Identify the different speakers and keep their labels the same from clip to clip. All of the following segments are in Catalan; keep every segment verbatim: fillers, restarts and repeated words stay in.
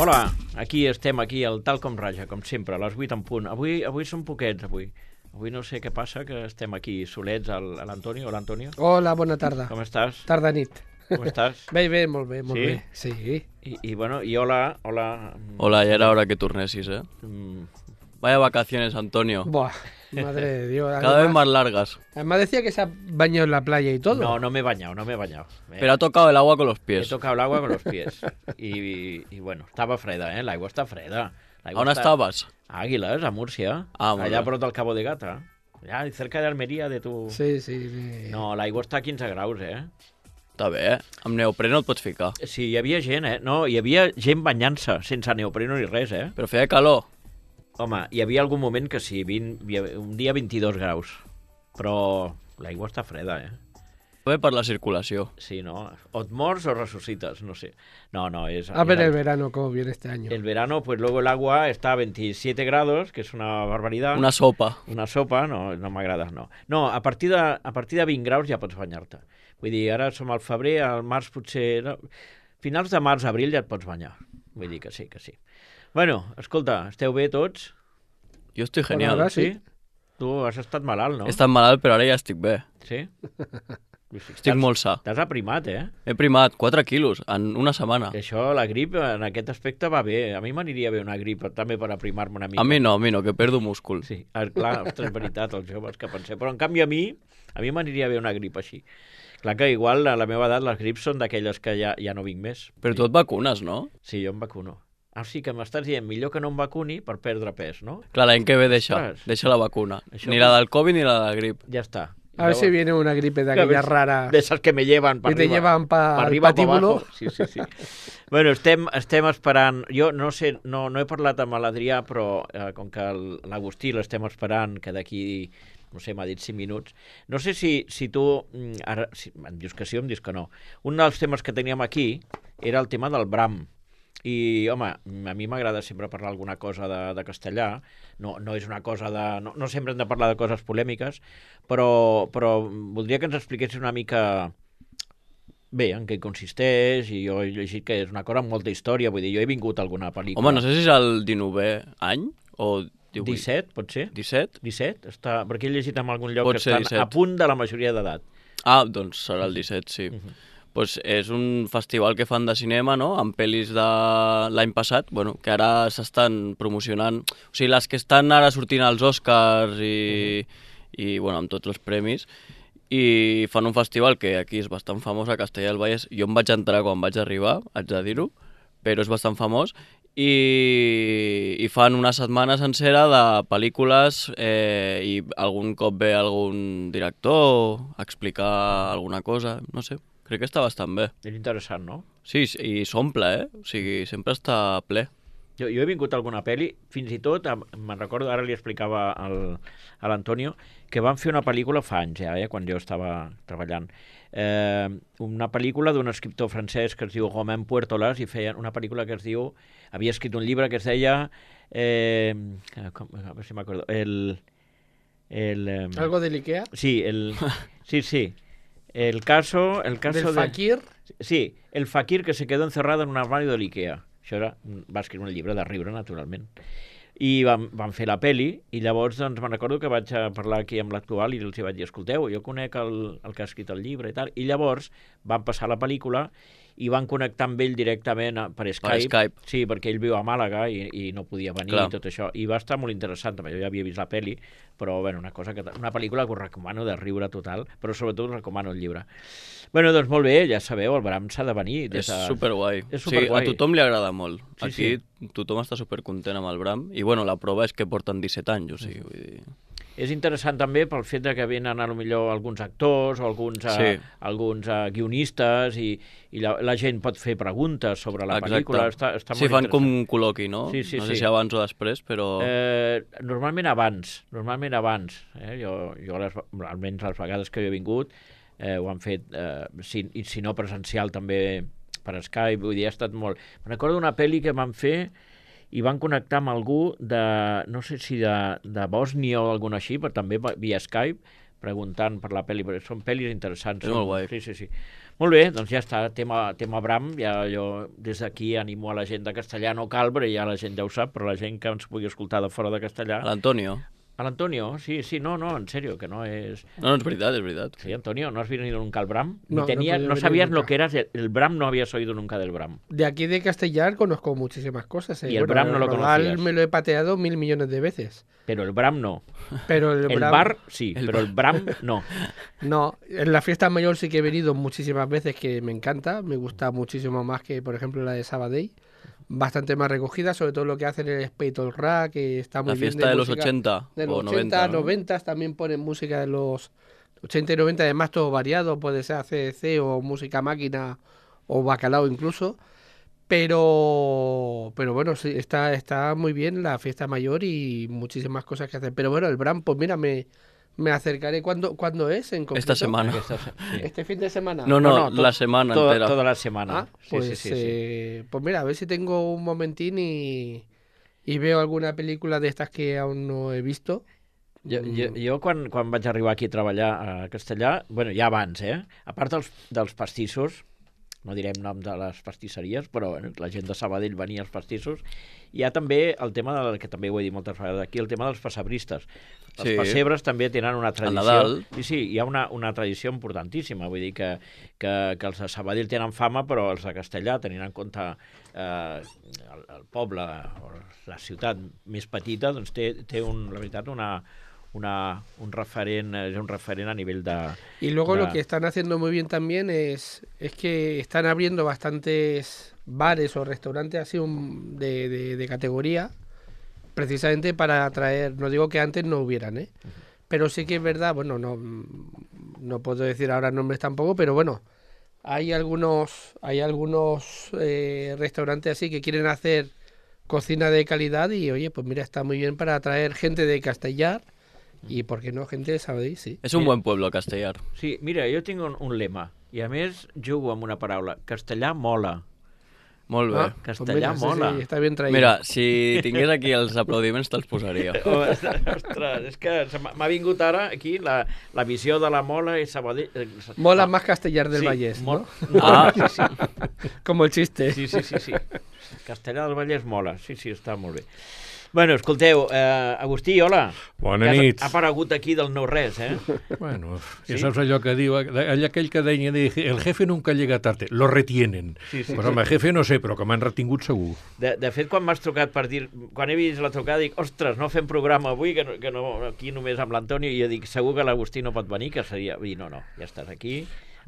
Speaker 1: Hola, aquí estem, aquí, al Tal Com Raja, com sempre, a les vuit en punt. Avui, avui som poquets, avui. Avui no sé què passa, que estem aquí solets, al, a l'Antonio. Hola, Antonio.
Speaker 2: Hola, bona tarda.
Speaker 1: Com estàs?
Speaker 2: Tarda nit.
Speaker 1: Com estàs?
Speaker 2: Bé, bé, molt bé, molt
Speaker 1: Sí?
Speaker 2: bé. Sí.
Speaker 1: I, I, bueno, i hola, hola...
Speaker 3: Hola, ya era hora que turnesis, ¿eh?
Speaker 1: Mm,
Speaker 3: Vaya vacaciones, Antonio.
Speaker 2: Buah, madre de Dios.
Speaker 3: Cada vez más largas.
Speaker 2: Además decía que se ha bañado en la playa y todo.
Speaker 1: No, no me he bañado, no me he bañado. Eh,
Speaker 3: Pero ha tocado el agua con los
Speaker 1: He
Speaker 3: pies.
Speaker 1: tocado el agua con los pies. I, i, i bueno, estava freda, eh? L'aigua està freda. L'aigua
Speaker 3: ¿A dónde
Speaker 1: està...
Speaker 3: estabas?
Speaker 1: A Águilas, a Múrcia.
Speaker 3: Ah, molt
Speaker 1: allà
Speaker 3: bé.
Speaker 1: prop del Cabo de Gata. Allà, cerca d'Almeria, de tu...
Speaker 2: Sí, sí, sí.
Speaker 1: No, l'aigua està a quinze graus, eh?
Speaker 3: Està bé, eh? Amb neoprè no et pots ficar.
Speaker 1: Sí, hi havia gent, eh? No, hi havia gent banyant-se, sense neopreno ni res, eh?
Speaker 3: Però feia calor.
Speaker 1: Home, hi havia algun moment que sí, vint, hi havia un dia vint-i-dos graus, però l'aigua està freda, eh?
Speaker 3: Bé per la circulació.
Speaker 1: Sí, no? O et mors o resucites, no sé. No, no, es...
Speaker 2: A ver
Speaker 1: es-
Speaker 2: el verano cómo viene este año.
Speaker 1: el verano, pues luego el agua está a veintisiete grados, que es una barbaridad.
Speaker 3: Una sopa.
Speaker 1: Una sopa, no, no m'agrada, no. No, a partir, de, a partir de vint graus ja pots banyar-te. Vull dir, ara som al febrer, al març potser... No, finals de març, abril ja et pots banyar. Vull dir que sí, que sí. Bueno, escolta, esteu bé tots?
Speaker 3: Jo estic
Speaker 2: Hola,
Speaker 3: genial.
Speaker 2: hola. Sí.
Speaker 1: Tu has estat malalt, no?
Speaker 3: He estat malalt, però ara ja estic bé.
Speaker 1: Sí?
Speaker 3: Estic molt sa.
Speaker 1: T'has aprimat, eh?
Speaker 3: He primat quatre quilos en una setmana.
Speaker 1: Això, la grip, en aquest aspecte va bé. A mi m'aniria bé una grip també per aprimar-me una mica.
Speaker 3: A mi no, a mi no, que perdo múscul.
Speaker 1: Sí, ah, clar, ostres, és veritat, els joves que pensem. Però en canvi a mi, a mi m'aniria bé una grip així. Clar que igual a la meva edat les grips són d'aquelles que ja, ja no vinc més.
Speaker 3: Però tu et vacunes, no?
Speaker 1: Sí, jo em vacuno. Ah, sí, que m'estàs dient millor que no em vacuni per perdre pes, no?
Speaker 3: Clar, l'any que ve deixa,
Speaker 1: Ostres.
Speaker 3: deixa la vacuna.
Speaker 1: Això-
Speaker 3: Ni la del Covid ni la de la grip.
Speaker 1: Ja està.
Speaker 2: A ver si viene una gripe de aquella rara
Speaker 1: De esas que me llevan para
Speaker 2: que te
Speaker 1: arriba.
Speaker 2: llevan para
Speaker 1: Pa
Speaker 2: el
Speaker 1: arriba, pa
Speaker 2: patíbulo.
Speaker 1: abajo. Sí, sí, sí. Bueno, estem, estem esperant... Jo no sé, no, no he parlat amb l'Adrià, però eh, com que el- l'Agustí l'estem esperant, que d'aquí, no sé, m'ha dit cinc minuts. No sé si, si tu... mm, Ara, si, em dius que sí o em dius que no. Un dels temes que teníem aquí era el tema del Bram. I, home, a mi m'agrada sempre parlar alguna cosa de, de castellà, no, no és una cosa de... No, no sempre hem de parlar de coses polèmiques, però, però voldria que ens expliquessis una mica bé en què consisteix, i jo he llegit que és una cosa amb molta història, vull dir, jo he vingut a alguna pel·lícula.
Speaker 3: Home, no sé si és el dinovè any o divuit.
Speaker 1: disset, pot ser?
Speaker 3: disset?
Speaker 1: disset? Està... Perquè he llegit en algun lloc
Speaker 3: Pot
Speaker 1: que
Speaker 3: ser
Speaker 1: estan
Speaker 3: disset.
Speaker 1: a punt de la majoria d'edat.
Speaker 3: Ah, doncs serà el disset, sí.
Speaker 1: Uh -huh.
Speaker 3: Pues és un festival que fan de cinema, no?, amb pel·lis de l'any passat, bueno, que ara s'estan promocionant. O sigui, les que estan ara sortint als Oscars i, uh -huh. i bueno, amb tots els premis, i fan un festival que aquí és bastant famós a Castellà del Vallès. Jo em vaig entrar quan vaig arribar, haig de dir-ho, però és bastant famós, i, i fan una setmana sencera de pel·lícules eh, i algun cop ve algun director a explicar alguna cosa, no sé. Crec que està bastant bé.
Speaker 1: És interessant, no?
Speaker 3: Sí, i s'omple, eh? O sigui, sempre està ple.
Speaker 1: Jo, jo he vingut a alguna pel·li, fins i tot, em- me'n recordo, ara li explicava al, a l'Antonio, que van fer una pel·lícula fa anys, ja, eh, quan jo estava treballant. Eh, una pel·lícula d'un escriptor francès que es diu Romain Puertolas, i feien una pel·lícula que es diu... Havia escrit un llibre que es deia... Eh, com, a veure si m'acordo... El... el eh,
Speaker 2: Algo del Ikea.
Speaker 1: Sí, el... Sí, sí. El caso... El caso
Speaker 2: Del
Speaker 1: de...
Speaker 2: fakir.
Speaker 1: Sí, el fakir que se quedó encerrado en un armario de l'Ikea. Això era, va escriure un llibre de riure, naturalment. I van, van fer la peli, i llavors doncs, me'n recordo que vaig a parlar aquí amb l'actual i els hi vaig dir, escolteu, jo conec el, el que ha escrit el llibre i tal, i llavors van passar la pel·lícula i van connectar amb ell directament a- per Skype.
Speaker 3: Skype.
Speaker 1: Sí, perquè ell viu a Màlaga i, i no podia venir
Speaker 3: Clar.
Speaker 1: i tot això. I va estar molt interessant, també. Jo ja havia vist la peli, però bueno, una, cosa que, una pel·lícula que us recomano de riure total, però sobretot us recomano el llibre. Bueno, doncs molt bé, ja sabeu, el Bram s'ha de venir. Des
Speaker 3: És
Speaker 1: de...
Speaker 3: superguai.
Speaker 1: És
Speaker 3: O sigui,
Speaker 1: superguai.
Speaker 3: a tothom li agrada molt.
Speaker 1: Sí,
Speaker 3: Aquí tothom està supercontent amb el Bram. I bueno, la prova és que porten disset anys, o sigui, vull dir...
Speaker 1: És interessant també pel fet de que venen a lo millor alguns actors o alguns,
Speaker 3: Sí.
Speaker 1: uh, alguns uh, guionistes i, i la, la gent pot fer preguntes sobre la
Speaker 3: Exacte.
Speaker 1: pel·lícula. Està, està
Speaker 3: Sí,
Speaker 1: molt
Speaker 3: fan com
Speaker 1: interessant.
Speaker 3: un col·loqui, no?
Speaker 1: Sí, sí,
Speaker 3: no sé
Speaker 1: sí.
Speaker 3: si abans o després, però...
Speaker 1: Eh, normalment abans, normalment abans. Eh? Jo, jo les, almenys les vegades que jo he vingut eh, ho han fet, eh, si, i si no presencial també per Skype, vull dir, ha estat molt... Me'n recordo d'una pel·li que van fer i van connectar amb algú de, no sé si de, de Bòsnia o alguna així, però també va- via Skype, preguntant per la pel·li, perquè són pel·lis interessants.
Speaker 3: És molt guai.
Speaker 1: Sí, sí, sí. Molt bé, doncs ja està, tema, tema Bram, ja jo des d'aquí animo a la gent de Castellà, no cal, perquè ja la gent ja ho sap, però la gent que ens pugui escoltar de fora de Castellà...
Speaker 3: A l'Antonio.
Speaker 1: A l'Antonio, sí, sí, no, no, en serio, que no és...
Speaker 3: No, no, és veritat, és veritat.
Speaker 1: Sí, Antonio, ¿no has venido nunca al Bram? Ni
Speaker 2: No,
Speaker 1: tenía,
Speaker 2: no he
Speaker 1: no,
Speaker 2: podido
Speaker 1: sabías
Speaker 2: venir
Speaker 1: lo
Speaker 2: nunca.
Speaker 1: que eras el, el Bram, no habías oído nunca del Bram.
Speaker 2: De aquí de Castellar conozco muchísimas cosas. ¿eh?
Speaker 1: Y el Bram no lo
Speaker 2: Rodal
Speaker 1: conocías.
Speaker 2: me lo he pateado mil millones de veces.
Speaker 1: Pero el Bram no.
Speaker 2: Pero el,
Speaker 1: El
Speaker 2: Bram-
Speaker 1: bar sí,
Speaker 3: El
Speaker 1: pero el Bram no.
Speaker 2: No, en la fiesta mayor sí que he venido muchísimas veces, que me encanta. Me gusta muchísimo más que, por ejemplo, la de Sabadell. Bastante más recogida, sobre todo lo que hacen el Spade Rack, que está muy
Speaker 3: La
Speaker 2: bien.
Speaker 3: fiesta de los
Speaker 2: música.
Speaker 3: ochenta
Speaker 2: De los
Speaker 3: o
Speaker 2: ochenta,
Speaker 3: noventa, ¿no?
Speaker 2: noventa también ponen música de los ochenta y noventa, además todo variado, puede ser A C D C o música máquina o bacalao incluso. Pero pero bueno, sí, está, está muy bien la fiesta mayor y muchísimas cosas que hacer. Pero bueno, el Bram, pues mira, me, me acercaré. ¿Cuándo, ¿cuándo es en concreto?
Speaker 3: Esta semana.
Speaker 1: Aquesta se- sí.
Speaker 2: ¿Este fin de semana?
Speaker 3: No, no,
Speaker 1: No, no,
Speaker 3: la
Speaker 1: tot-
Speaker 3: semana
Speaker 1: Toda,
Speaker 3: entera.
Speaker 1: toda la semana.
Speaker 2: Ah,
Speaker 1: Sí,
Speaker 2: pues,
Speaker 1: sí, sí, sí.
Speaker 2: eh, pues mira, a ver si tengo un momentín y, y veo alguna película de estas que aún no he visto.
Speaker 1: Jo, jo, jo quan, quan vaig arribar aquí a treballar a Castellà, bueno, ja abans, eh? A part dels, dels pastissos, no direm nom de les pastisseries, però bueno, la gent de Sabadell venia als pastissos, hi ha també el tema, del, que també ho he dit moltes vegades aquí, el tema dels pessebristes. Els
Speaker 3: Sí.
Speaker 1: pessebres també tenen una tradició.
Speaker 3: Nadal.
Speaker 1: Sí, sí, hi ha una, una tradició importantíssima, vull dir que, que, que els de Sabadell tenen fama, però els de Castellà, tenint en compte eh, el, el poble, o la ciutat més petita, doncs té, té un, la veritat, una, una, un referent, és un referent a nivell de...
Speaker 2: Y luego
Speaker 1: Ya.
Speaker 2: lo que están haciendo muy bien también es, es que están abriendo bastantes bares o restaurantes así un- de, de- de categoría, precisamente para atraer, no digo que antes no hubieran, ¿eh? Pero sí que es verdad, bueno, no, no puedo decir ahora nombres tampoco, pero bueno, hay algunos, hay algunos eh, restaurantes así que quieren hacer cocina de calidad y oye, pues mira, está muy bien para atraer gente de Castellar y, ¿por qué no, gente de Sabadell? Sí.
Speaker 3: És un buen pueblo, Castellar.
Speaker 1: Sí, mira, jo tinc un, un lema, i a més jugo amb una paraula, castellà mola.
Speaker 3: Molt bé.
Speaker 2: Ah,
Speaker 1: Castellà
Speaker 2: pues mira, sí,
Speaker 1: mola.
Speaker 2: sí, está bien traído.
Speaker 3: Mira, si tingués aquí els aplaudiments te'ls posaria.
Speaker 1: Oh, ostres, és que se m'ha m'ha vingut ara aquí la, la visió de la mola i Sabadell... eh,
Speaker 2: Mola
Speaker 1: no,
Speaker 2: más Castellar del
Speaker 1: sí,
Speaker 2: Vallès,
Speaker 1: mol-
Speaker 2: ¿no?
Speaker 3: Ah,
Speaker 1: sí, sí,
Speaker 2: Como el chiste.
Speaker 1: sí, sí, sí, sí. Castellà del Vallès mola, sí, sí, està molt bé. Bueno, escolteu, eh, Agustí, hola.
Speaker 4: Bona
Speaker 1: Que has-
Speaker 4: nit.
Speaker 1: Ha aparegut aquí del no res, eh?
Speaker 4: Bueno,
Speaker 1: Sí?
Speaker 4: ja saps allò que diu, allà aquell que deia, deia, el jefe nunca llega tarde, lo retienen.
Speaker 1: Sí, sí,
Speaker 4: pues
Speaker 1: sí.
Speaker 4: home, jefe no sé, però que m'han retingut segur.
Speaker 1: De, de fet, quan m'has trucat per dir... Quan he vist la trucada, dic, ostres, no fem programa avui, que no, que no aquí només amb l'Antoni, i jo dic, segur que l'Agustí no pot venir, que seria... I no, no, ja estàs aquí.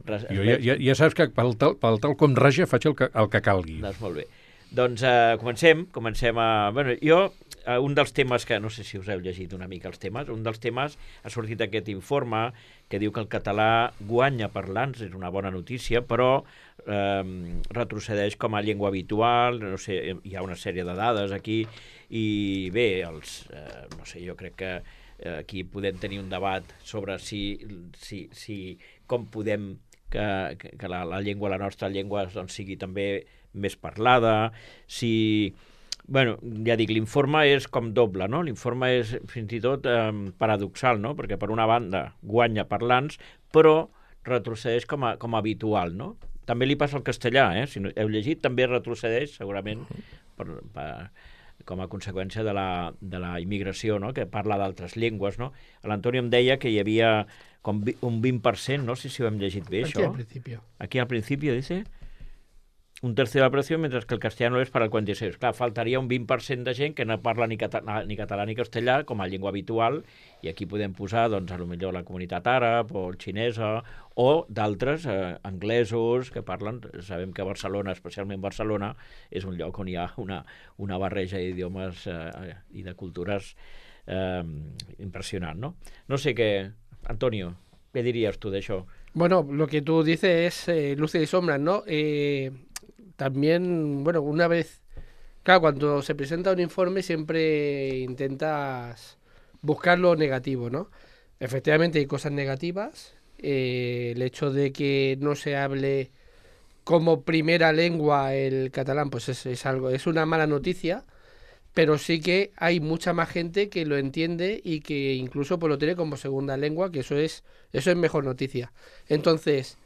Speaker 1: Res,
Speaker 4: Jo ja, ja, ja saps que pel tal, pel tal com raja faig el que, el que calgui.
Speaker 1: Doncs molt bé. Doncs eh, comencem, comencem a... Bueno, jo, eh, un dels temes que, no sé si us heu llegit una mica els temes, un dels temes ha sortit aquest informe que diu que el català guanya parlants, és una bona notícia, però eh, retrocedeix com a llengua habitual, no sé, hi ha una sèrie de dades aquí, i bé, els, eh, no sé, jo crec que eh, aquí podem tenir un debat sobre si, si, si com podem que, que, que la, la llengua, la nostra llengua, doncs, sigui també més parlada, si... Bueno, ja dic, l'informe és com doble, no? L'informe és fins i tot eh, paradoxal, no? Perquè per una banda guanya parlants, però retrocedeix com a, com a habitual, no? També li passa al castellà, eh? Si no, heu llegit, també retrocedeix, segurament, per, per, com a conseqüència de la, de la immigració, no? Que parla d'altres llengües, no? L'Antoni em deia que hi havia com vi- un vint per cent, no sé si ho hem llegit bé,
Speaker 2: Aquí
Speaker 1: això.
Speaker 2: al principio.
Speaker 1: Aquí al principio dice un tercio de la población, mientras que el castellano es para el cuarenta y seis. Clar, faltaria un vint per cent de gent que no parla ni català ni, català, ni castellà com a llengua habitual, i aquí podem posar, doncs, a lo millor la comunitat àrab o xinesa, o d'altres eh, anglesos que parlen. Sabem que Barcelona, especialment Barcelona, és un lloc on hi ha una, una barreja d'idiomes eh, i de cultures eh, impressionant, no? No sé què... Antonio, què diries tu d'això?
Speaker 2: Bueno, lo que tú dices es eh, luces y sombras, ¿no? Eh, también, bueno, una vez, claro, cuando se presenta un informe siempre intentas buscar lo negativo, ¿no? Efectivamente hay cosas negativas, eh, el hecho de que no se hable como primera lengua el catalán, pues es, es algo, es una mala noticia, pero sí que hay mucha más gente que lo entiende y que incluso pues, lo tiene como segunda lengua, que eso es, eso es mejor noticia. Entonces,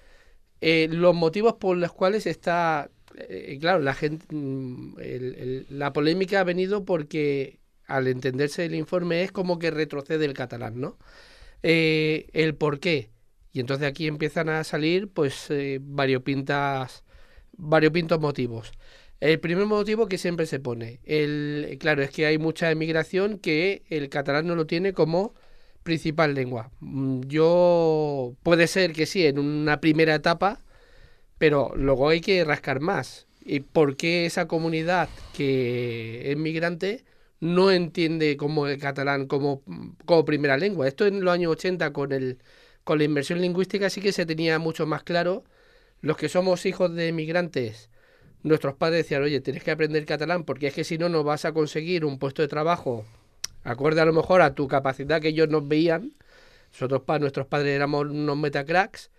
Speaker 2: eh, los motivos por los cuales está, eh, claro, la gente, el, el, la polémica ha venido porque al entenderse el informe es como que retrocede el catalán, ¿no? Eh, el por qué. Y entonces aquí empiezan a salir pues eh, variopintas, variopintos motivos. El primer motivo que siempre se pone, el, claro, es que hay mucha emigración que el catalán no lo tiene como principal lengua. Yo, puede ser que sí, en una primera etapa, pero luego hay que rascar más. ¿Y por qué esa comunidad que es migrante no entiende como el catalán como, como primera lengua? Esto en los años ochenta con, el, con la inmersión lingüística sí que se tenía mucho más claro. Los que somos hijos de migrantes, nuestros padres decían, oye, tienes que aprender catalán porque es que si no, no vas a conseguir un puesto de trabajo acorde a lo mejor a tu capacidad que ellos nos veían. Nosotros, pa, nuestros padres éramos unos metacracks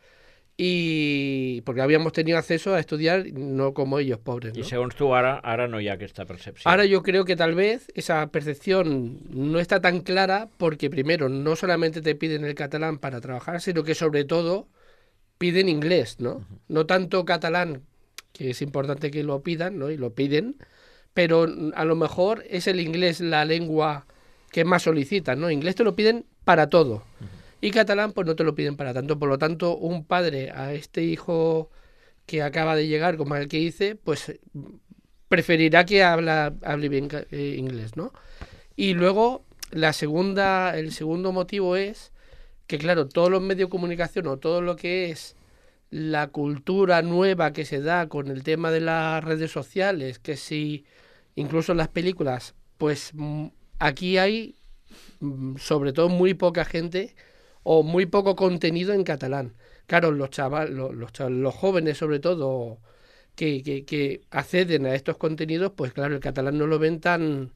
Speaker 2: y porque habíamos tenido acceso a estudiar no como ellos, pobres, ¿no?
Speaker 1: I segons tu, ara, ara no hi ha aquesta percepció.
Speaker 2: Ahora yo creo que tal vez esa percepción no está tan clara porque primero no solamente te piden el catalán para trabajar, sino que sobre todo piden inglés, ¿no? Uh-huh. No tanto catalán, que es importante que lo pidan, ¿no? Y lo piden, pero a lo mejor es el inglés la lengua que más solicitan, ¿no? Inglés te lo piden para todo. Uh-huh. Y catalán, pues no te lo piden para tanto. Por lo tanto, un padre a este hijo que acaba de llegar, como el que hice, pues preferirá que habla, hable bien eh, inglés, ¿no? Y luego, la segunda, el segundo motivo es que, claro, todos los medios de comunicación o todo lo que es la cultura nueva que se da con el tema de las redes sociales, que si incluso en las películas, pues aquí hay sobre todo muy poca gente o muy poco contenido en catalán. Claro, los chavales, los, los, los jóvenes sobre todo que, que, que acceden a estos contenidos, pues claro, el catalán no lo ven tan...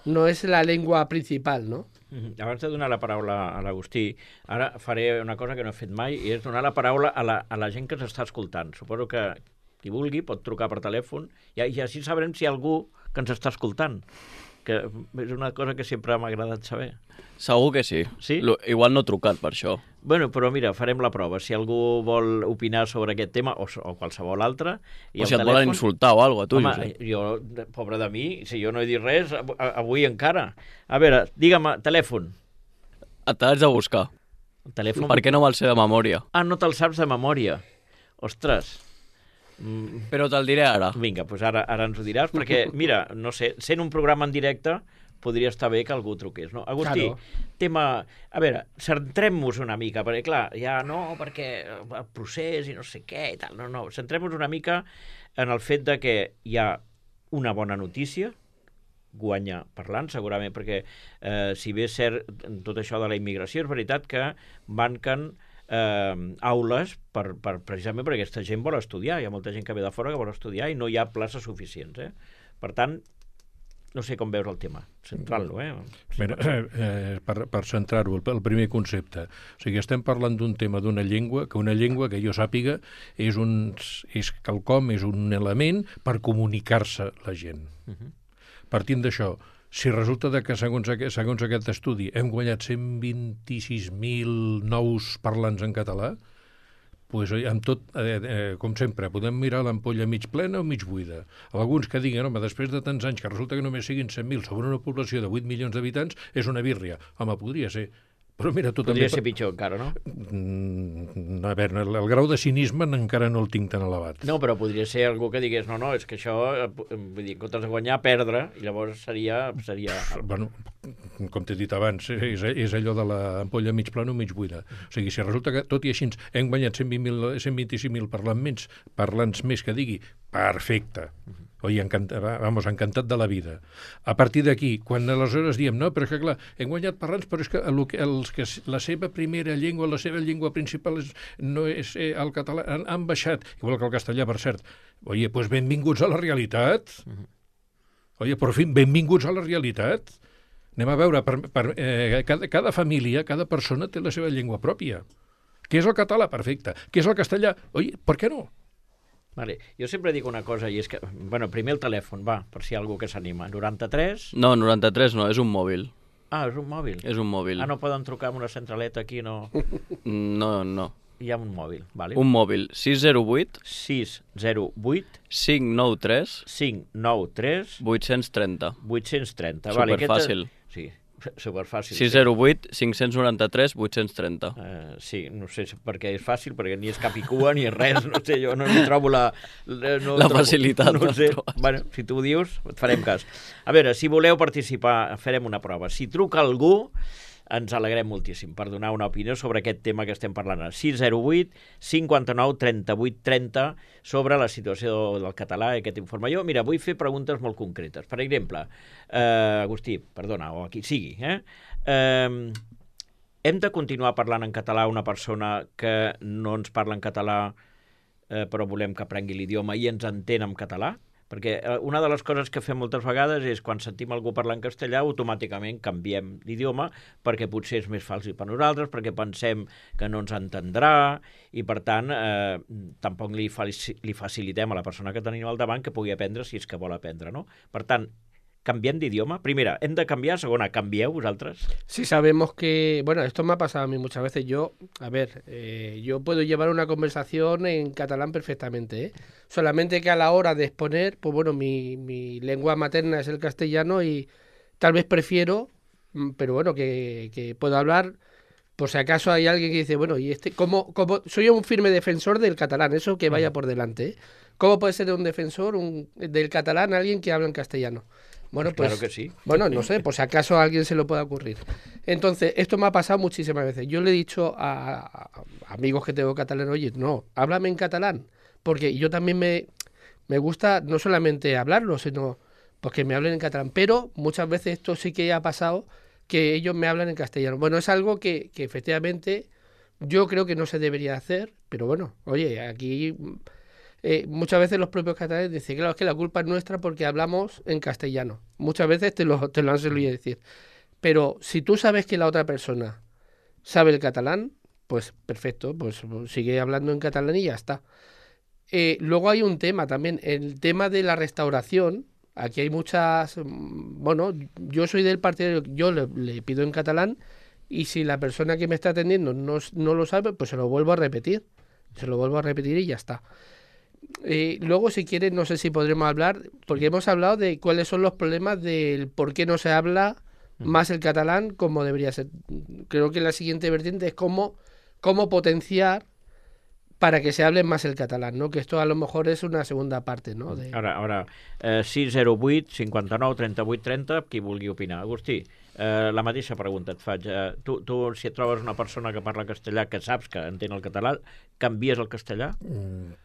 Speaker 2: no és la llengua principal, no?
Speaker 1: Mm-hmm. Abans de donar la paraula a l'Agustí, ara faré una cosa que no he fet mai, i és donar la paraula a la, a la gent que s'està escoltant. Suposo que qui vulgui pot trucar per telèfon i, i així sabrem si hi ha algú que ens està escoltant, que és una cosa que sempre m'ha agradat saber.
Speaker 3: Segur que sí.
Speaker 1: Sí?
Speaker 3: Lo, igual no he trucat per això.
Speaker 1: Bueno, però mira, farem la prova. Si algú vol opinar sobre aquest tema, o, o qualsevol altre...
Speaker 3: O si et telèfon... volen insultar o alguna cosa, tu,
Speaker 1: Home,
Speaker 3: Josep.
Speaker 1: jo, pobre de mi, si jo no he dit res, avui encara. A veure, digue'm, telèfon.
Speaker 3: Et l'haig de buscar.
Speaker 1: El telèfon...
Speaker 3: Per què no me'l sé de memòria?
Speaker 1: Ah, no te'l saps de memòria. Ostres.
Speaker 3: Mm. Però te'l diré ara.
Speaker 1: Vinga, doncs ara, ara ens ho diràs, perquè, mira, no sé, sent un programa en directe... podria estar bé que algú truqués, no? Agustí, claro. Tema... A veure, centrem-nos una mica, perquè, clar, ja no, perquè el procés i no sé què i tal, no, no, centrem-nos una mica en el fet de que hi ha una bona notícia, guanya parlant, segurament, perquè eh, si bé és cert tot això de la immigració, és veritat que manquen eh, aules per, per, precisament perquè aquesta gent vol estudiar, hi ha molta gent que ve de fora que vol estudiar i no hi ha places suficients, eh? Per tant, no sé com veus el tema, centrar-lo, eh?
Speaker 4: Mira, eh, per, per centrar-ho, el, el primer concepte. O sigui, estem parlant d'un tema d'una llengua, que una llengua, que jo sàpiga, és, un, és quelcom, és un element per comunicar-se la gent. Uh-huh. Partint d'això, si resulta de que segons, aquest, segons aquest estudi hem guanyat cent vint-i-sis mil nous parlants en català, pues, amb tot, eh, eh, com sempre, podem mirar l'ampolla mig plena o mig buida. Alguns que diguen, home, després de tants anys que resulta que només siguin cent mil sobre una població de vuit milions d'habitants, és una bírria. Home, podria ser. Però mira, tu
Speaker 1: podria
Speaker 4: també...
Speaker 1: ser pitjor encara, no?
Speaker 4: Mm, a veure, el, el grau de cinisme encara no el tinc tan elevat.
Speaker 1: No, però podria ser algú que digués, no, no, és que això, vull dir, en comptes de guanyar, perdre, i llavors seria... seria...
Speaker 4: Bueno, com t'he dit abans, és, és allò de l'ampolla mig plana o mig buida. O sigui, si resulta que, tot i així, hem guanyat cent vint-i-cinc mil parlants més, parlants més que digui, perfecte. Oi, encantat, vamos, encantat de la vida. A partir d'aquí, quan aleshores diem, no, però és que clar, hem guanyat parlants, però és que, el, els que la seva primera llengua, la seva llengua principal és, no és eh, el català, han, han baixat, igual que el castellà, per cert. Oye, pues benvinguts a la realitat. Oye, per fi, benvinguts a la realitat. Anem a veure, per, per, eh, cada, cada família, cada persona té la seva llengua pròpia. Què és el català? Perfecte. Què és el castellà? Oye, per què no?
Speaker 1: Vale. Jo sempre dic una cosa, i és que... Bueno, primer el telèfon, va, per si hi ha algú que s'anima. noranta-tres...
Speaker 3: No, noranta-tres no, és un mòbil.
Speaker 1: Ah, és un mòbil?
Speaker 3: És un mòbil.
Speaker 1: Ah, no poden trucar amb una centraleta aquí, no?
Speaker 3: No, no.
Speaker 1: Hi ha un mòbil, vale.
Speaker 3: Un mòbil, sis zero vuit...
Speaker 1: sis zero vuit...
Speaker 3: cinc nou tres...
Speaker 1: cinc nou tres...
Speaker 3: vuit-cents trenta.
Speaker 1: vuit-cents trenta.
Speaker 3: Superfàcil.
Speaker 1: Vale, sí, superfàcil.
Speaker 3: sis zero vuit cinc nou tres vuit trenta.
Speaker 1: Uh, sí, no sé per què és fàcil, perquè ni és cap i cua ni és res, no sé, jo no hi trobo la... No
Speaker 3: la
Speaker 1: trobo,
Speaker 3: facilitat.
Speaker 1: No sé. Bueno, si tu ho dius, et farem cas. A veure, si voleu participar, farem una prova. Si truca algú, ens alegrem moltíssim per donar una opinió sobre aquest tema que estem parlant. sis zero vuit cinquanta-nou trenta-vuit trenta sobre la situació del català i aquest informe. Jo, mira, vull fer preguntes molt concretes. Per exemple, eh, Agustí, perdona, o a qui sigui, eh? eh hem de continuar parlant en català a una persona que no ens parla en català eh, però volem que aprengui l'idioma i ens entén en català? Perquè una de les coses que fem moltes vegades és quan sentim algú parlar en castellà automàticament canviem l'idioma perquè potser és més fàcil per nosaltres, perquè pensem que no ens entendrà i per tant eh, tampoc li, li facilitem a la persona que tenim al davant que pugui aprendre si és que vol aprendre, no? Per tant, ¿cambian de idioma? Primera, ¿hem de cambiar? Segona, ¿cambieu vosotros?
Speaker 2: Sí, sabemos que... Bueno, esto me ha pasado a mí muchas veces. Yo, a ver, eh, yo puedo llevar una conversación en catalán perfectamente, ¿eh? Solamente que a la hora de exponer, pues bueno, mi, mi lengua materna es el castellano y tal vez prefiero, pero bueno, que, que puedo hablar... Por si acaso hay alguien que dice, bueno, y este, ¿cómo, cómo? Soy un firme defensor del catalán, eso que vaya por delante, ¿eh? ¿Cómo puede ser un defensor un, del catalán alguien que habla en castellano? Bueno, pues,
Speaker 1: claro que sí.
Speaker 2: Bueno, no sé, por si acaso a alguien se lo pueda ocurrir. Entonces, esto me ha pasado muchísimas veces. Yo le he dicho a, a amigos que tengo catalán, oye, no, háblame en catalán, porque yo también me, me gusta no solamente hablarlo, sino pues que me hablen en catalán. Pero muchas veces esto sí que ha pasado, que ellos me hablan en castellano. Bueno, es algo que, que efectivamente yo creo que no se debería hacer, pero bueno, oye, aquí... Eh, muchas veces los propios catalanes dicen, claro, es que la culpa es nuestra porque hablamos en castellano. Muchas veces te lo, te lo han solido decir. Pero si tú sabes que la otra persona sabe el catalán, pues perfecto, pues sigue hablando en catalán y ya está. Eh, luego hay un tema también, el tema de la restauración. Aquí hay muchas... Bueno, yo soy del partido, yo le, le pido en catalán y si la persona que me está atendiendo no, no lo sabe, pues se lo vuelvo a repetir. Se lo vuelvo a repetir y ya está. Eh, luego, si quieres, no sé si podremos hablar, porque hemos hablado de cuáles son los problemas del por qué no se habla más el catalán como debería ser. Creo que la siguiente vertiente es cómo, cómo potenciar para que se hable más el catalán, ¿no? Que esto a lo mejor es una segunda parte, ¿no? De...
Speaker 1: Ara, ara eh, sis zero vuit cinquanta-nou trenta-vuit trenta, qui vulgui opinar. Agustí, eh, la mateixa pregunta et faig. Eh, tu, tu, si et trobes una persona que parla castellà, que saps que entén el català, canvies el castellà?
Speaker 4: Mm.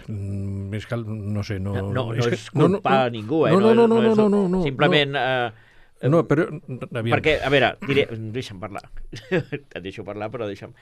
Speaker 4: Mm, és que, no sé, no...
Speaker 1: No, no, no
Speaker 4: és,
Speaker 1: és culpar no, no, a ningú, eh?
Speaker 4: No, no, no, no, no, no, no, no
Speaker 1: simplement...
Speaker 4: No,
Speaker 1: eh,
Speaker 4: no però... Aviam.
Speaker 1: Perquè, a veure, diré, deixa'm parlar. Et deixo parlar, però deixa'm...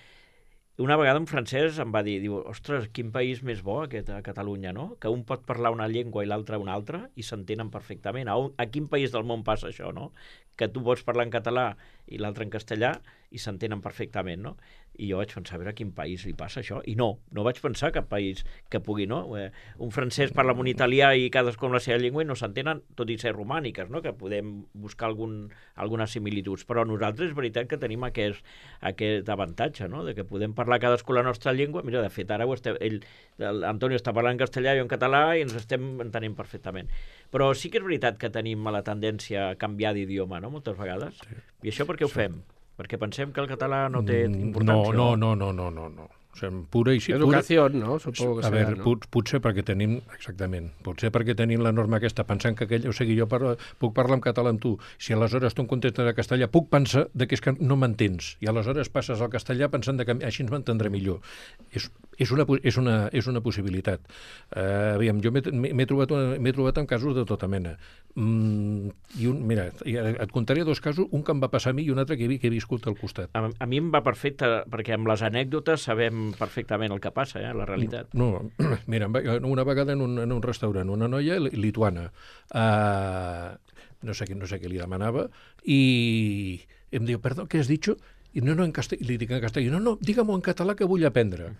Speaker 1: Una vegada un francès em va dir, diu, ostres, quin país més bo aquest a Catalunya, no? Que un pot parlar una llengua i l'altre una altra i s'entenen perfectament. A, un, a quin país del món passa això, no? Que tu pots parlar en català i l'altre en castellà i s'entenen perfectament, no? I jo vaig pensar, a veure a quin país li passa això. I no, no vaig pensar cap país que pugui, no? Eh, un francès parla amb un italià i cadascú amb la seva llengua i no s'entenen, tot i ser romàniques, no? Que podem buscar algun, algunes similituds. Però nosaltres és veritat que tenim aquest, aquest avantatge, no? De que podem parlar cadascú la nostra llengua. Mira, de fet, ara ho estem, ell, l'Antonio està parlant en castellà i jo en català i ens estem entenent perfectament. Però sí que és veritat que tenim la tendència a canviar d'idioma, no?, moltes vegades. Sí. I això per què ho fem? Perquè pensem que el català no té importància.
Speaker 4: No, no, no, no, no, no. O sigui, pura i...
Speaker 2: Educació, no? Supongo que
Speaker 4: a
Speaker 2: serà,
Speaker 4: veure,
Speaker 2: no?
Speaker 4: pot, potser perquè tenim... Exactament. Potser perquè tenim la norma aquesta, pensant que aquell... O sigui, jo parlo, puc parlar en català amb tu. Si aleshores tu em contestes en castellà, puc pensar de que és que no m'entens. I aleshores passes al castellà pensant de que així ens m'entendré millor. És, és, una, és, una, és una possibilitat. Uh, aviam, jo m'he trobat, trobat en casos de tota mena. Mm, i un, mira, et contaré dos casos, un que em va passar a mi i un altre que he, que he viscut al costat.
Speaker 1: A, a mi em va perfecte, perquè amb les anècdotes sabem perfectament el que passa, eh, la realitat.
Speaker 4: No, mira, una vegada en un, en un restaurant, una noia lituana, uh, no sé, no sé què li demanava, i em diu, perdó, què has dit? I no, no, en castellà, li dic en castellà, no, no, digue-m'ho en català que vull aprendre.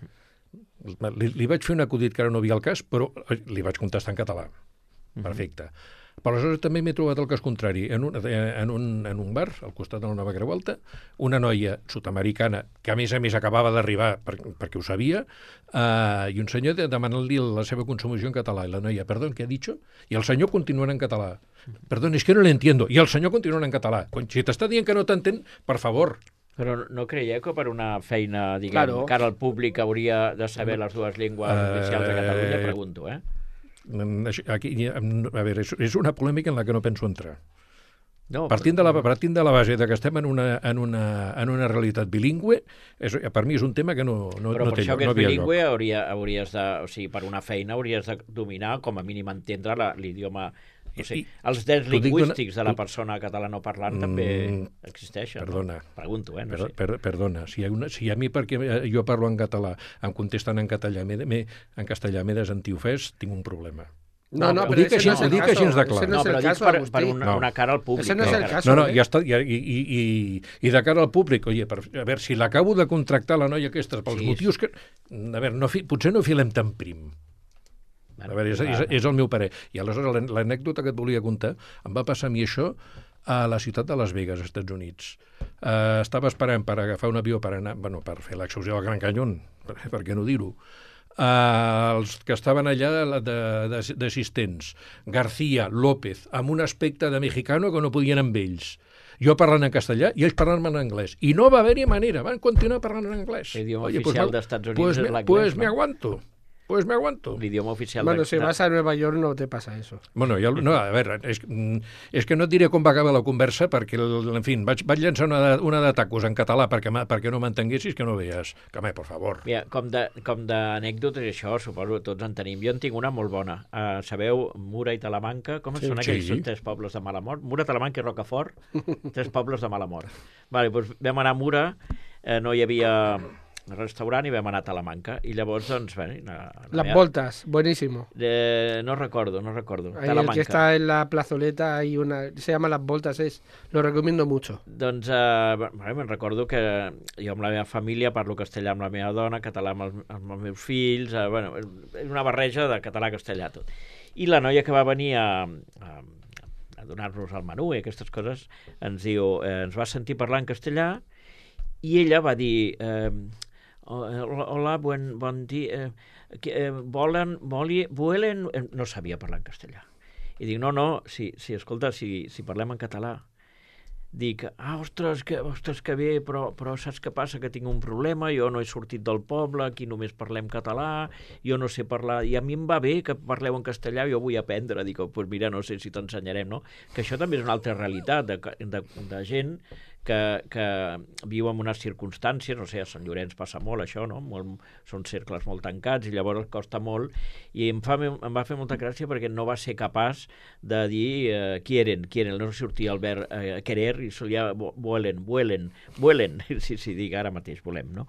Speaker 4: li, li vaig fer un acudit que ara no havia el cas, però li vaig contestar en català. Perfecte. Però aleshores també m'he trobat el cas contrari. En un, en, un, en un bar, al costat de la Nova Creu Alta, una noia sud-americana, que a més a més acabava d'arribar per, perquè ho sabia, eh, i un senyor demanant-li la seva consumació en català. I la noia, perdó, què ha dit? I el senyor continua en català. Perdó, és que no l'entiendo. I el senyor continua en català. Si t'està dient que no t'entén, per favor.
Speaker 1: Però no creieu que per una feina, diguem,
Speaker 2: Claro.
Speaker 1: cara al públic hauria de saber les dues llengües oficials de Catalunya? Pregunto, eh?
Speaker 4: Aquí, a veure, és, és una polèmica en la que no penso entrar.
Speaker 1: No,
Speaker 4: Partint de la, partint de la base de que estem en una, en una, en una realitat bilingüe, és, per mi és un tema que no, no,
Speaker 1: però
Speaker 4: no
Speaker 1: per
Speaker 4: té
Speaker 1: això
Speaker 4: lloc,
Speaker 1: que
Speaker 4: no
Speaker 1: és
Speaker 4: havia
Speaker 1: bilingüe
Speaker 4: lloc.
Speaker 1: hauria, hauries de, o sigui, per una feina hauries de dominar, com a mínim entendre la- l'idioma. No sé,
Speaker 4: I-
Speaker 1: els drets
Speaker 4: t'ho dic
Speaker 1: lingüístics
Speaker 4: d'una-
Speaker 1: de la
Speaker 4: t'ho-
Speaker 1: persona catalanoparlant també
Speaker 4: Mm,
Speaker 1: existeixen.
Speaker 4: perdona.
Speaker 1: No? Pregunto, eh? No
Speaker 4: Per,
Speaker 1: sé.
Speaker 4: per, perdona, si, hi ha una, si a mi perquè jo parlo en català em contesten en català, m'he, m'he- en castellà m'he de sentir ofès, tinc un problema.
Speaker 2: No, no,
Speaker 4: ho
Speaker 2: pero
Speaker 4: dic
Speaker 2: ese
Speaker 4: així-
Speaker 2: no es
Speaker 4: ho
Speaker 2: el
Speaker 4: dic
Speaker 2: caso,
Speaker 4: així de clar.
Speaker 2: ese no
Speaker 1: No,
Speaker 2: es
Speaker 1: però
Speaker 2: el
Speaker 1: dic
Speaker 2: caso,
Speaker 1: per,
Speaker 2: Agustí.
Speaker 1: per una,
Speaker 4: No.
Speaker 1: una cara al públic.
Speaker 2: Ese no és el
Speaker 1: encara.
Speaker 2: caso.
Speaker 4: No, no,
Speaker 2: eh?
Speaker 4: ja està, ja, i, i, i, i de cara al públic, oye, per, a veure, si l'acabo de contractar la noia aquesta pels
Speaker 1: Sí,
Speaker 4: motius que... A veure, no fi, potser no filem tan prim. A veure, és, és, és el meu parer. I aleshores l'an- l'anècdota que et volia contar, em va passar a mi això a la ciutat de Las Vegas, als Estats Units. Uh, estava esperant per agafar un avió per anar, bueno, per fer l'excursió al Gran Canyón, per, per què no dir-ho. Uh, els que estaven allà de- de- d'assistents, García, López, amb un aspecte de mexicano que no podien amb ells. Jo parlant en castellà i ells parlant en anglès. I no va haver-hi manera, van continuar parlant en anglès.
Speaker 1: L'idioma
Speaker 4: Oye,
Speaker 1: oficial
Speaker 4: me-
Speaker 1: dels Estats Units
Speaker 4: pues
Speaker 1: és
Speaker 4: me,
Speaker 1: l'anglès,
Speaker 4: Pues
Speaker 1: no?
Speaker 4: me aguanto. Pues me aguanto.
Speaker 1: L'idioma oficial
Speaker 2: Bueno,
Speaker 1: de...
Speaker 2: si vas a Nueva York no te pasa eso.
Speaker 4: Bueno, ja, no, a veure, és, mm, és que no et diré com va acabar la conversa perquè, el- en fi, vaig, vaig llançar una, de- una de tacos en català perquè, m'ha- perquè no m'entenguessis, que no veies. Que, home, per favor.
Speaker 1: Mira, com de- com d'anècdotes i això, suposo que tots en tenim. Jo en tinc una molt bona. Uh, sabeu, Mura i Talamanca, com
Speaker 4: Sí,
Speaker 1: són aquells?
Speaker 4: sí.
Speaker 1: Són tres pobles de mala mort. Mura, Talamanca i Rocafort, tres pobles de mala mort. Vale, doncs vam anar a Mura, eh, no hi havia restaurant i vam anar a Talamanca. I llavors, doncs, bé... La, la
Speaker 2: Las
Speaker 1: meva-
Speaker 2: voltas, buenísimo.
Speaker 1: Eh, no recordo, no recordo.
Speaker 2: Ahí el
Speaker 1: Talamanca.
Speaker 2: que está en la plazoleta hay una, se llama Las Voltas, es, lo recomiendo mucho.
Speaker 1: Doncs eh, bé, me'n recordo que jo amb la meva família parlo castellà amb la meva dona, català amb els, amb els meus fills, eh, bueno, és una barreja de català-castellà tot. I la noia que va venir a, a, a donar-nos el menú i aquestes coses ens diu, eh, ens va sentir parlar en castellà i ella va dir eh, hola, hola, buen, bon dia, eh, que, eh, volen, voli, vuelen... Eh, no sabia parlar en castellà. I dic, no, no, si, si escolta, si, si parlem en català, dic, ah, ostres, que, ostres, que bé, però, però saps què passa? Que tinc un problema, jo no he sortit del poble, aquí només parlem català, jo no sé parlar, i a mi em va bé que parleu en castellà, jo vull aprendre. Dic, doncs pues mira, no sé si t'ensenyarem, no? Que això també és una altra realitat de, de, de gent que, que viu en unes circumstàncies, no sé, a Sant Llorenç passa molt això, no? Molt, són cercles molt tancats i llavors costa molt, i em, fa, em va fer molta gràcia perquè no va ser capaç de dir eh, quieren, quieren, no sortia el verb eh, querer i solia vuelen, vuelen, vuelen, sí, sí, dic ara mateix volem, no?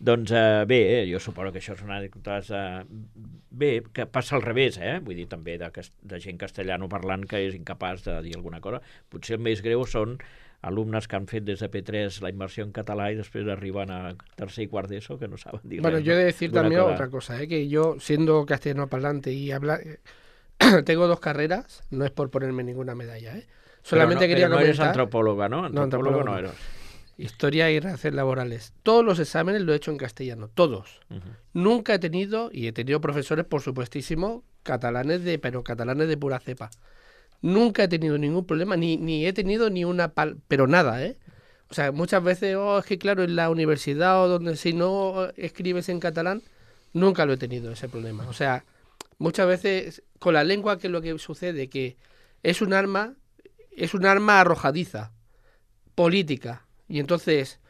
Speaker 1: Doncs eh, bé, eh, jo suposo que això és una anècdotes eh, bé, que passa al revés, eh? Vull dir, també de, de gent castellano parlant que és incapaç de dir alguna cosa. Potser el més greu són alumnes que han fet des de P tres la immersió en català y después arriban a tercer y cuart d'ESO que no saben dir
Speaker 2: Bueno,
Speaker 1: res,
Speaker 2: yo he
Speaker 1: no?
Speaker 2: de decir
Speaker 1: Alguna
Speaker 2: también
Speaker 1: cosa.
Speaker 2: otra cosa, ¿eh? Que yo, siendo castellano parlante y hablar, tengo dos carreras, no es por ponerme ninguna medalla, ¿eh? Solamente
Speaker 1: Pero no,
Speaker 2: quería
Speaker 1: pero no eres
Speaker 2: comentar
Speaker 1: antropóloga, ¿no? Antropólogo
Speaker 2: antropólogo
Speaker 1: no
Speaker 2: no.
Speaker 1: eres.
Speaker 2: historia y relaciones laborales. Todos los exámenes lo he hecho en castellano, todos.
Speaker 1: Ujú.
Speaker 2: Nunca he tenido, y he tenido profesores, por supuestísimo, catalanes de, pero catalanes de pura cepa. Nunca he tenido ningún problema, ni, ni he tenido ni una pal, pero nada, ¿eh? O sea, muchas veces, oh, es que claro, en la universidad o donde si no escribes en catalán, nunca lo he tenido ese problema. O sea, muchas veces con la lengua, que es lo que sucede, que es un arma, es un arma arrojadiza, política. Y entonces,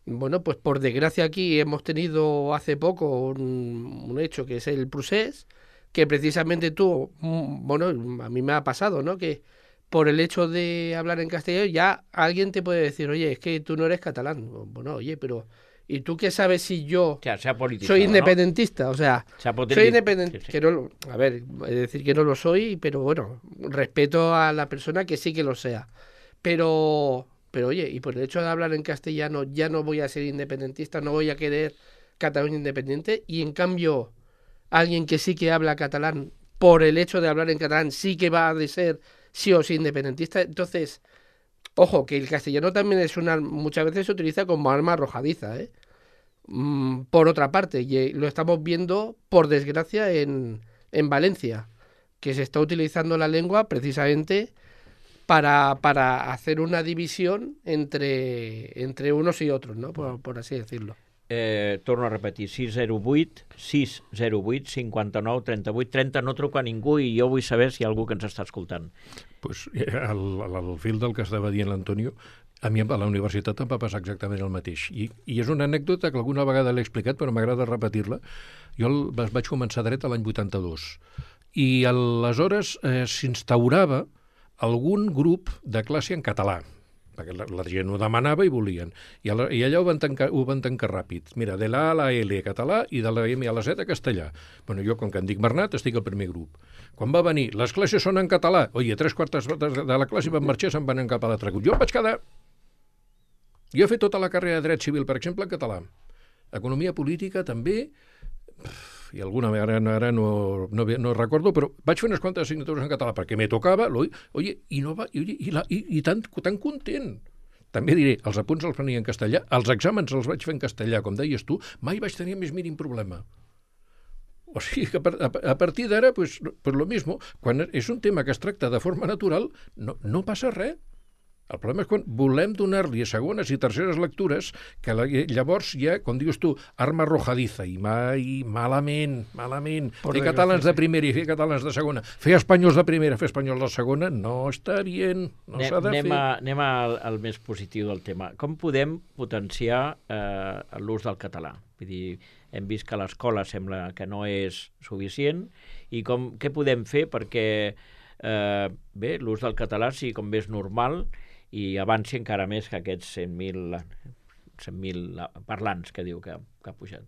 Speaker 2: bueno, pues por desgracia aquí hemos tenido hace poco un, un hecho que es el procés, que precisamente tú, mm, bueno, a mí me ha pasado, ¿no? Que por el hecho de hablar en castellano ya alguien te puede decir, oye, es que tú no eres catalán. Bueno, oye, pero ¿y tú qué sabes si yo
Speaker 1: O sea, se ha politizado,
Speaker 2: soy
Speaker 1: ¿no?
Speaker 2: independentista? O sea,
Speaker 1: Se ha politi-
Speaker 2: soy independiente,
Speaker 1: sí, sí.
Speaker 2: que no lo- a ver, es decir que no lo soy, pero bueno, respeto a la persona que sí que lo sea. Pero, pero oye, y por el hecho de hablar en castellano ya no voy a ser independentista, no voy a querer Cataluña independiente, y en cambio alguien que sí que habla catalán, por el hecho de hablar en catalán, sí que va a de ser sí o sí independentista. Entonces, ojo, que el castellano también es una, muchas veces se utiliza como arma arrojadiza, ¿eh? Mm, por otra parte, y lo estamos viendo, por desgracia, en, en Valencia, que se está utilizando la lengua precisamente para, para hacer una división entre, entre unos y otros, ¿no? Por, por así decirlo.
Speaker 1: Eh, torno a repetir, sis zero vuit, sis zero vuit, cinquanta-nou, trenta-vuit, trenta, no truca ningú i jo vull saber si hi ha algú que ens està escoltant.
Speaker 4: Pues, al, al fil del que estava dient l'Antonio, a mi a la universitat em va passar exactament el mateix. I, i és una anècdota que alguna vegada l'he explicat, però m'agrada repetir-la. Jo el, vaig començar dret a l'any vuitanta-dos. I aleshores eh, s'instaurava algun grup de classe en català, perquè la, la gent ho demanava i volien. I, ala, i allà ho van, tancar, ho van tancar ràpid. Mira, de la A a la L català i de la M a la Z castellà. Bueno, jo, com que em dic Bernat, estic al primer grup. Quan va venir, les classes són en català. Oye, tres quartes de la classe van marxar i se'n van cap a l'altre grup. Jo em vaig quedar... Jo he fet tota la carrera de dret civil, per exemple, en català. Economia política, també... i alguna ara, ara no, no, no recordo, però vaig fer unes quantes assignatures en català perquè me tocava, oye, i, no va, i, i, la, i, i tan, tan content. També diré, els apunts els prenia en castellà, els exàmens els vaig fer en castellà, com deies tu, mai vaig tenir més mínim problema. O sigui que a, a partir d'ara, pues, pues lo mismo, quan és un tema que es tracta de forma natural, no, no passa res. El problema és quan volem donar-li segones i terceres lectures que la, llavors ja, com dius tu, arma arrojadiza i mai, malament, malament. Por fer catalans de primera i fer catalans de segona. Fer espanyols de primera, fer espanyols de segona, no està bien, no s'ha de
Speaker 1: anem
Speaker 4: fer.
Speaker 1: A, anem al, al més positiu del tema. Com podem potenciar eh, l'ús del català? Vull dir, hem vist que l'escola sembla que no és suficient i com, què podem fer perquè eh, bé, l'ús del català sigui com més normal i avanci encara més que aquests cent mil parlants que diu que, que ha pujat.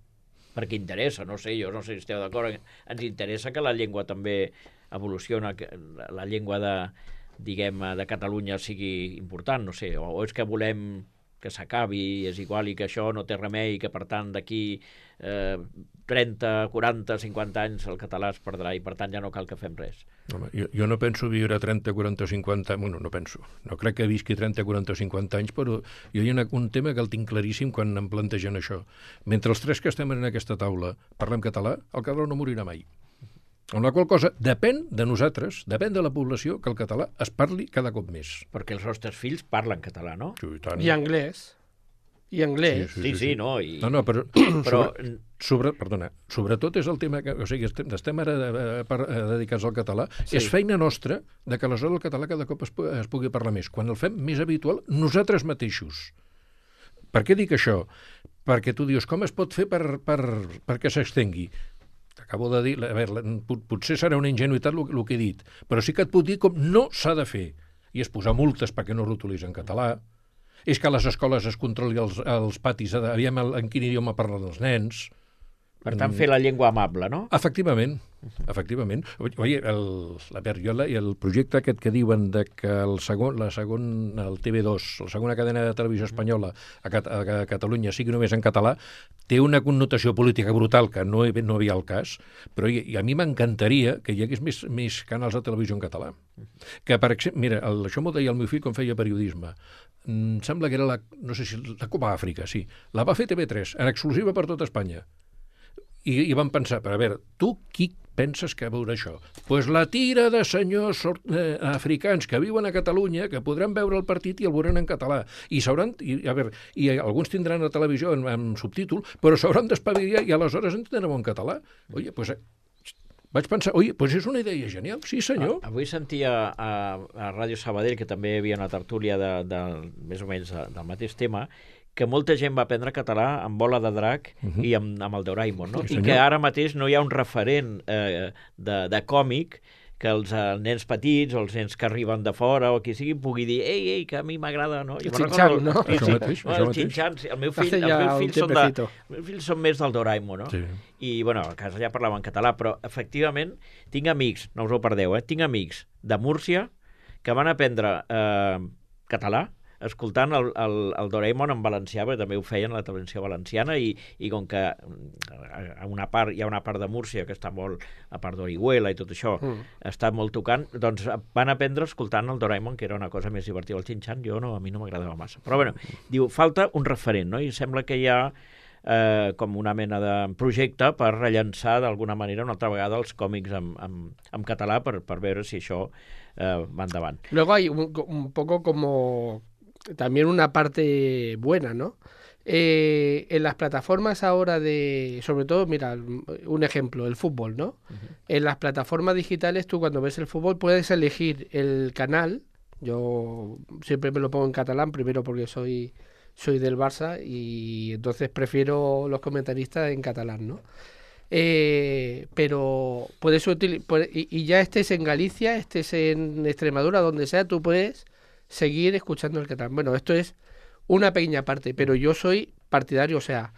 Speaker 1: Perquè interessa, no sé, jo no sé si esteu d'acord, ens interessa que la llengua també evoluciona, que la llengua de, diguem, de Catalunya sigui important, no sé, o, o és que volem que s'acabi, és igual i que això no té remei, que per tant d'aquí eh, trenta, quaranta, cinquanta anys el català es perdrà i per tant ja no cal que fem res.
Speaker 4: Home, jo, jo no penso viure trenta, quaranta, cinquanta... Bueno, no penso. No crec que visqui trenta, quaranta o cinquanta anys, però jo hi ha una, un tema que el tinc claríssim quan em plantegen això. Mentre els tres que estem en aquesta taula parlem català, el català no morirà mai. Amb la qual cosa depèn de nosaltres, depèn de la població, que el català es parli cada cop més.
Speaker 1: Perquè els nostres fills parlen català, no?
Speaker 4: Sí, i tant.
Speaker 2: I anglès. I anglès.
Speaker 1: Sí, sí, sí, sí, sí no? I...
Speaker 4: No, no, però,
Speaker 1: però...
Speaker 4: Sobre, sobre, perdona, sobretot és el tema que, o sigui, estem, estem ara a, a, a dedicats al català, sí. És feina nostra de que aleshores el català cada cop es, es pugui parlar més. Quan el fem més habitual, nosaltres mateixos. Per què dic això? Perquè tu dius, com es pot fer per, per, perquè s'extengui? T'acabo de dir, a veure, potser serà una ingenuïtat el, el que he dit, però sí que et puc dir com no s'ha de fer. I és posar multes perquè no l'utilitzen en català, és que a les escoles es controli els, els patis, aviam el, en quin idioma parlen els nens.
Speaker 1: Per tant, fer la llengua amable, no?
Speaker 4: Efectivament, efectivament. Oye, el, la Berriola i el projecte aquest que diuen de que el segon, la segon, el T V dos, la segona cadena de televisió espanyola a, Cat a Catalunya sigui només en català, té una connotació política brutal que no, no havia el cas, però i, i a mi m'encantaria que hi hagués més, més canals de televisió en català. Que, per exemple, mira, el, això m'ho deia el meu fill quan feia periodisme. Em sembla que era la, no sé si, la Copa Àfrica, sí. La va fer T V tres, en exclusiva per tota Espanya. I, i vam pensar, però a veure, tu qui penses que veurà això? Doncs pues la tira de senyors eh, africans que viuen a Catalunya, que podran veure el partit i el veuran en català. I s'hauran, i, a veure, i alguns tindran la televisió en, en subtítol, però s'hauran d'espavilar i aleshores entendrem en català. Oye, doncs pues, vaig pensar, oi, doncs és una idea genial, sí senyor.
Speaker 1: Ah, avui sentia a, a Ràdio Sabadell, que també hi havia una tertúlia de, de, més o menys de, del mateix tema, que molta gent va aprendre català amb Bola de Drac uh -huh. i amb, amb el Doraemon, no? Sí, i que ara mateix no hi ha un referent eh, de, de còmic que els eh, nens petits o els nens que arriben de fora o qui sigui pugui dir, ei, ei, que a mi m'agrada, no?
Speaker 2: El Xinxan, no?
Speaker 1: Sí,
Speaker 4: això
Speaker 1: sí,
Speaker 4: mateix,
Speaker 1: no,
Speaker 4: això
Speaker 1: el Xinxan, sí. El meu fill, els meus fills són de, els meus fills són més del Doraemon, no?
Speaker 4: Sí.
Speaker 1: I, bueno, a casa ja parlava en català, però, efectivament, tinc amics, no us ho perdeu, eh? Tinc amics de Múrcia que van aprendre eh, català escoltant el, el, el Doraemon en valencià, perquè també ho feien a la televisió valenciana, i, i com que a una part, hi ha una part de Múrcia que està molt, a part d'Orihuela i tot això, mm. està molt tocant, doncs van aprendre escoltant el Doraemon, que era una cosa més divertida. El Shin-Chan, jo no, a mi no m'agradava massa. Però bueno, diu, falta un referent, no? I sembla que hi ha eh, com una mena de projecte per rellançar d'alguna manera una altra vegada els còmics en, en, en català per, per veure si això eh, va endavant.
Speaker 2: Luego hay un, un poco como también una parte buena, ¿no? Eh, en las plataformas ahora de, sobre todo, mira, un ejemplo, el fútbol, ¿no? Uh-huh. En las plataformas digitales tú cuando ves el fútbol puedes elegir el canal. Yo siempre me lo pongo en catalán, primero porque soy, soy del Barça y entonces prefiero los comentaristas en catalán, ¿no? Eh, pero puedes utilizar, y, y ya estés en Galicia, estés en Extremadura, donde sea, tú puedes seguir escuchando el catalán. Bueno, esto es una pequeña parte, pero yo soy partidario, o sea,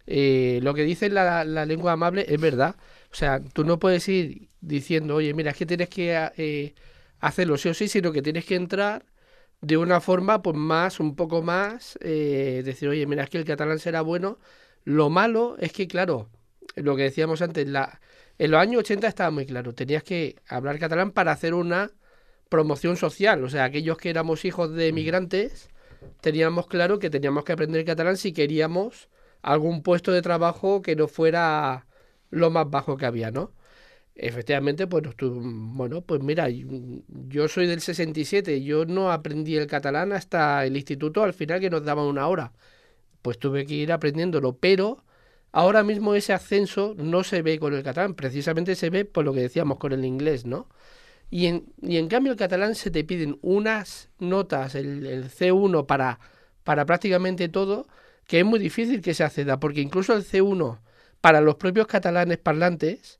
Speaker 2: eh, lo que dice la, la lengua amable es verdad. O sea, tú no puedes ir diciendo, oye, mira, es que tienes que eh, hacerlo sí o sí, sino que tienes que entrar de una forma pues más, un poco más, eh, decir, oye, mira, es que el catalán será bueno. Lo malo es que, claro, lo que decíamos antes, la, en los años ochenta estaba muy claro, tenías que hablar catalán para hacer una promoción social, o sea, aquellos que éramos hijos de emigrantes teníamos claro que teníamos que aprender catalán si queríamos algún puesto de trabajo que no fuera lo más bajo que había, ¿no? Efectivamente, pues, tú, bueno, pues mira, yo soy del sesenta y siete, yo no aprendí el catalán hasta el instituto, al final que nos daban una hora, pues tuve que ir aprendiéndolo, pero ahora mismo ese ascenso no se ve con el catalán, precisamente se ve por lo que decíamos con el inglés, ¿no? Y en, y en cambio el catalán se te piden unas notas, el, el ce uno para, para prácticamente todo, que es muy difícil que se acceda, porque incluso el ce uno para los propios catalanes parlantes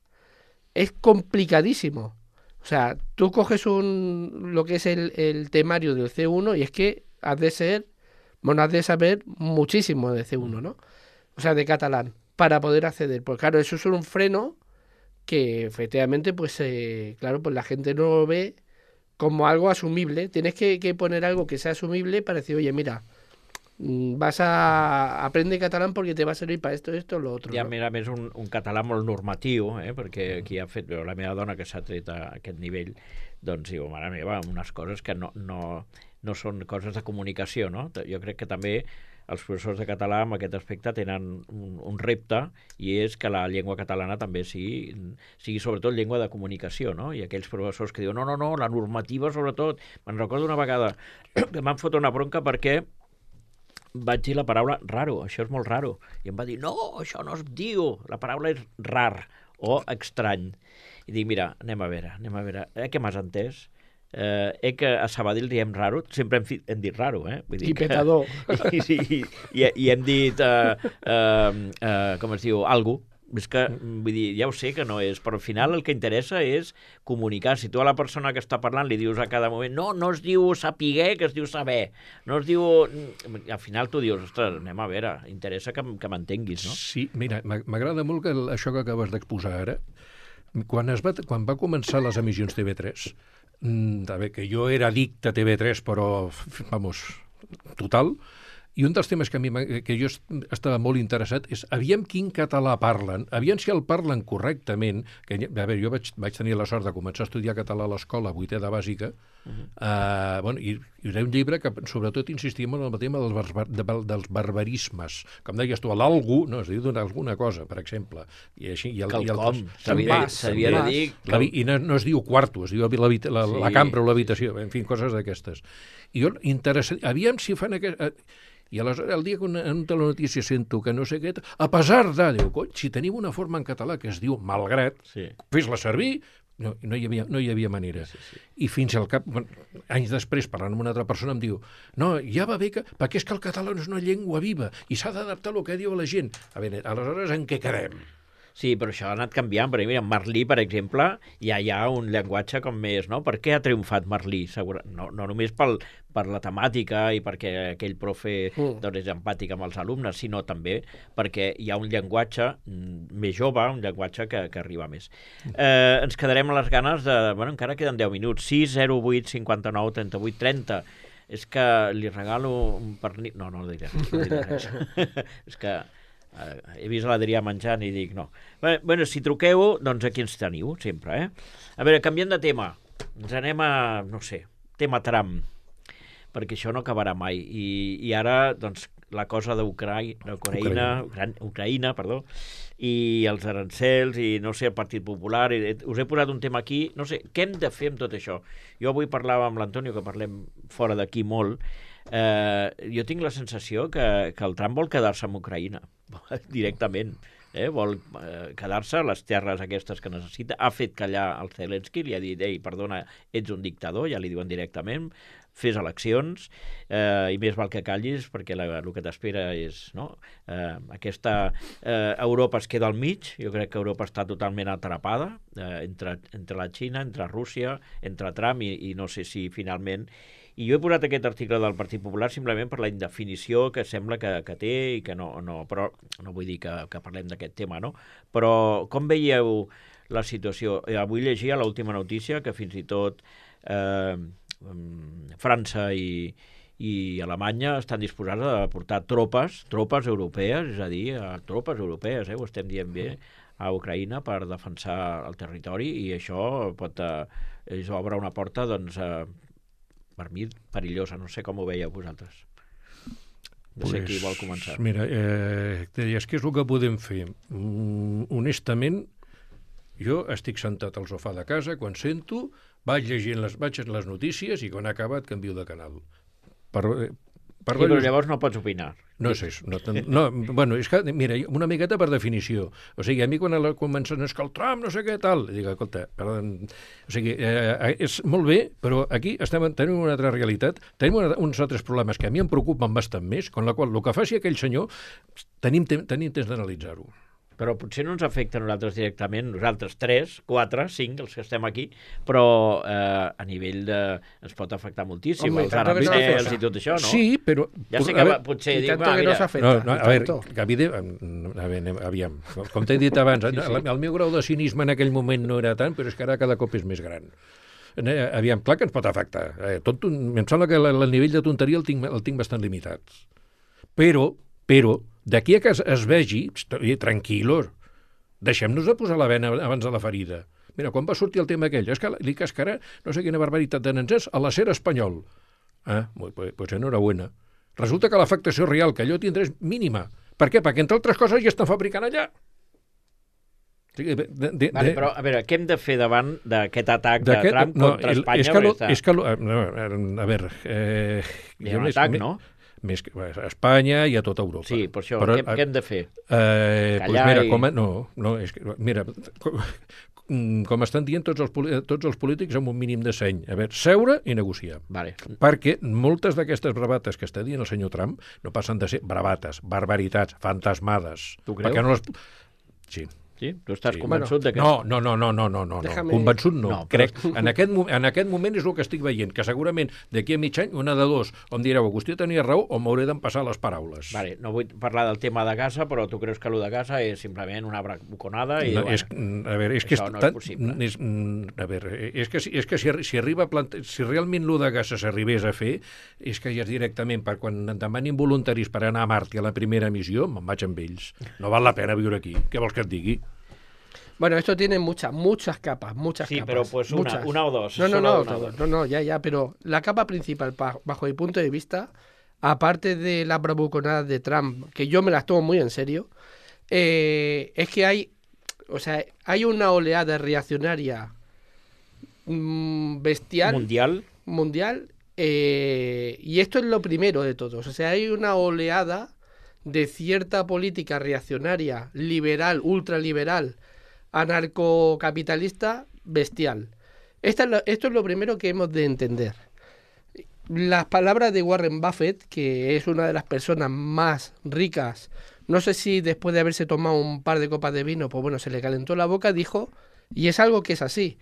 Speaker 2: es complicadísimo. O sea, tú coges un lo que es el, el temario del ce uno y es que has de ser, bueno, has de saber muchísimo de ce uno, ¿no? O sea, de catalán, para poder acceder. Pues claro, eso es un freno que efectivamente, pues eh, claro, pues la gente no lo ve como algo asumible. Tienes que, que poner algo que sea asumible para decir, oye, mira, vas a aprendre catalán porque te va a servir para esto, esto, lo otro.
Speaker 1: Ja,
Speaker 2: no?
Speaker 1: mira, més un, un català molt normatiu, eh? Perquè aquí ha fet, la meva dona que s'ha tret a aquest nivell, doncs diu, mare meva, unes coses que no, no, no són coses de comunicació, no? Jo crec que també els professors de català en aquest aspecte tenen un, un repte, i és que la llengua catalana també sigui, sigui sobretot llengua de comunicació, no? I aquells professors que diuen, no, no, no, la normativa sobretot. Me'n recordo una vegada que m'han fot una bronca perquè vaig dir la paraula raro, això és molt raro. I em va dir, no, això no es diu, la paraula és rar o estrany. I dic, mira, anem a veure, anem a veure, eh, què m'has entès? Eh, eh, que a Sabadell diem raro, sempre hem, fi, hem dit raro, eh? Vull dir
Speaker 2: I petador.
Speaker 1: Que, i, i, i, i hem dit, uh, uh, uh, com es diu, algo. És que, vull dir, ja ho sé que no és, però al final el que interessa és comunicar. Si tu a la persona que està parlant li dius a cada moment, no, no es diu sapiguer, que es diu saber, no es diu... Al final tu dius, ostres, anem a veure, interessa que, que m'entenguis, no?
Speaker 4: Sí, mira, m'agrada molt que el, això que acabes d'exposar ara, quan, es va, quan va començar les emissions T V tres, a veure, que jo era addicte a T V tres, però, vamos, total, i un dels temes que, a mi, que jo estava molt interessat és aviam quin català parlen, aviam si el parlen correctament, que, a veure, jo vaig, vaig tenir la sort de començar a estudiar català a l'escola, vuitè de bàsica, uh-huh. uh, bueno, i, i era un llibre que sobretot insistia molt en el tema dels, barbar, de, dels barbarismes, com deies tu, l'algú, no, es diu alguna cosa, per exemple, i així, i el,
Speaker 1: quelcom,
Speaker 4: s'havia de dir, la, i no, no es diu quarto, es diu la, la, sí. la cambra o l'habitació, en fi, coses d'aquestes. I jo, interessant, aviam si fan aquest... I aleshores, el dia que una, en una telenotícia sento que no sé què, a pesar de, diu, cony, si tenim una forma en català que es diu malgrat, sí. fes-la servir, no, no, hi havia, no hi havia manera. Sí, sí. I fins al cap, bueno, anys després, parlant amb una altra persona, em diu, no, ja va bé que, perquè és que el català no és una llengua viva i s'ha d'adaptar al que diu la gent. A veure, aleshores, en què quedem?
Speaker 1: Sí, però això ha anat canviant, perquè mira, Merlí, per exemple, ja hi ha un llenguatge com més, no? Per què ha triomfat Merlí? Segura... No, no només pel, per la temàtica i perquè aquell profe mm. doncs, és empàtic amb els alumnes, sinó també perquè hi ha un llenguatge més jove, un llenguatge que, que arriba més. Eh, ens quedarem a les ganes de... Bueno, encara queden deu minuts. sis zero vuit cinquanta-nou trenta-vuit trenta. és que li regalo un pernil... No, no diré res. No diré res. És que eh, he vist l'Adrià menjant i dic no. Bé, bueno, si truqueu, doncs aquí ens teniu, sempre, eh? A veure, canviant de tema, ens anem a, no sé, tema Trump, perquè això no acabarà mai. I, i ara, doncs, la cosa d'Ucraïna, Ucraïna, Ucraïna, perdó, i els arancels, i no sé, el Partit Popular, i, us he posat un tema aquí, no sé, què hem de fer amb tot això? Jo avui parlava amb l'Antonio, que parlem fora d'aquí molt, eh, jo tinc la sensació que, que el Trump vol quedar-se amb Ucraïna, directament, eh? Vol eh, quedar-se a les terres aquestes que necessita, ha fet callar el Zelensky, li ha dit, ei, perdona, ets un dictador, ja li diuen directament, fes eleccions, eh, i més val que callis, perquè la, el que t'espera és... No? Eh, aquesta eh, Europa es queda al mig, jo crec que Europa està totalment atrapada, eh, entre, entre la Xina, entre Rússia, entre Trump, i, i no sé si finalment... I jo he posat aquest article del Partit Popular simplement per la indefinició que sembla que, que té, i que no, no, però no vull dir que, que parlem d'aquest tema, no? Però com veieu la situació? Eh, avui llegia l'última notícia que fins i tot... Eh, França i, i Alemanya estan disposats a portar tropes, tropes europees, és a dir, a tropes europees, eh, ho estem dient bé, a Ucraïna per defensar el territori, i això pot, eh, això obre una porta, doncs, eh, per mi, perillosa. No sé com ho veieu vosaltres. No pues, sé qui vol començar.
Speaker 4: Mira, eh, deies, què és el que podem fer? Mm, honestament, jo estic sentat al sofà de casa, quan sento, vaig llegint les, vaig les notícies i quan ha acabat canvio de canal. Per, per
Speaker 1: sí, però llavors no pots opinar.
Speaker 4: No sé, no, no, bueno, és que, mira, una miqueta per definició. O sigui, a mi quan comencen a escoltar Trump, no sé què, tal, dic, escolta, perdó, o sigui, eh, és molt bé, però aquí estem, tenim una altra realitat, tenim una, uns altres problemes que a mi em preocupen bastant més, con la qual el que faci aquell senyor, tenim, tenim temps d'analitzar-ho.
Speaker 1: Però potser no ens afecta a nosaltres directament, nosaltres tres, quatre, cinc, els que estem aquí, però eh, a nivell de... ens pot afectar moltíssim,
Speaker 2: Home,
Speaker 1: els arancels i tot això, no?
Speaker 4: Sí, però...
Speaker 1: Ja sé que va, potser
Speaker 2: I
Speaker 1: dic,
Speaker 2: tanto
Speaker 1: va,
Speaker 2: que
Speaker 1: mira...
Speaker 2: no s'afecta.
Speaker 4: No, no, a veure, que evident, a veure, aviam, com t'he dit abans, sí, sí. El, el meu grau de cinisme en aquell moment no era tant, però és que ara cada cop és més gran. Aviam, clar que ens pot afectar. Eh, tot, em sembla que el, el nivell de tonteria el tinc, el tinc bastant limitat. Però, però, d'aquí a que es, es vegi, tranquil·los, deixem-nos de posar la vena abans de la ferida. Mira, quan va sortir el tema aquell, és que li cascarà no sé quina barbaritat de nansers a l'acer espanyol. Ah, pues, pues enhorabuena. Resulta que l'afectació real que allò tindrà és mínima. Per què? Perquè, entre altres coses, ja estan fabricant allà. De, de, de,
Speaker 1: vale, però, a veure, què hem de fer davant d'aquest atac de Trump
Speaker 4: no,
Speaker 1: contra
Speaker 4: el,
Speaker 1: Espanya?
Speaker 4: És que, lo, és que lo, no, a veure... Eh,
Speaker 1: hi ha un atac, més, no?
Speaker 4: Més que a Espanya i a tota Europa.
Speaker 1: Sí, per això, però, què, què hem de fer?
Speaker 4: Eh, pues mira, i... com a, no, no, és que, mira, com, com estan dient tots els, tots els polítics amb un mínim de seny. A veure, seure i negociar.
Speaker 1: Vale.
Speaker 4: Perquè moltes d'aquestes bravates que està dient el senyor Trump no passen de ser bravates, barbaritats, fantasmades.
Speaker 1: Tu creus?
Speaker 4: Perquè no les... Sí.
Speaker 1: Sí? Tu estàs
Speaker 4: sí.
Speaker 1: convençut
Speaker 4: bueno,
Speaker 1: de que...
Speaker 4: No, no, no, no, no, no, no.
Speaker 2: Déjame...
Speaker 4: Convençut no.
Speaker 1: no
Speaker 4: però... Crec, en aquest, en aquest moment és el que estic veient, que segurament d'aquí a mig any, una de dos, o em direu, Agustí tenia raó, o m'hauré d'empassar les paraules.
Speaker 1: Vale, no vull parlar del tema de Gaza, però tu creus que allò de Gaza és simplement una bravuconada i...
Speaker 4: No,
Speaker 1: bueno,
Speaker 4: és, a veure, és que
Speaker 1: això
Speaker 4: és
Speaker 1: no
Speaker 4: tan,
Speaker 1: és possible.
Speaker 4: És, a veure, és que, és que si, si, arriba a plante... si realment allò de Gaza s'arribés a fer, és que ja és directament, per quan em demanin voluntaris per anar a Mart i a la primera missió, me'n vaig amb ells. No val la pena viure aquí. Què vols que et digui?
Speaker 2: Bueno, esto tiene muchas, muchas capas, muchas
Speaker 1: sí,
Speaker 2: capas.
Speaker 1: Sí, pero pues una,
Speaker 2: muchas.
Speaker 1: una o dos.
Speaker 2: No, no, no,
Speaker 1: una
Speaker 2: no,
Speaker 1: dos.
Speaker 2: no, no, ya, ya, pero la capa principal, bajo mi punto de vista, aparte de las bravuconadas de Trump, que yo me las tomo muy en serio, eh, es que hay, o sea, hay una oleada reaccionaria mmm, bestial.
Speaker 1: Mundial.
Speaker 2: Mundial, eh, y esto es lo primero de todos. O sea, hay una oleada de cierta política reaccionaria, liberal, ultraliberal, anarcocapitalista bestial. Esta es lo, esto es lo primero que hemos de entender. Las palabras de Warren Buffett, que es una de las personas más ricas, no sé si después de haberse tomado un par de copas de vino, pues bueno, se le calentó la boca, dijo, y es algo que es así.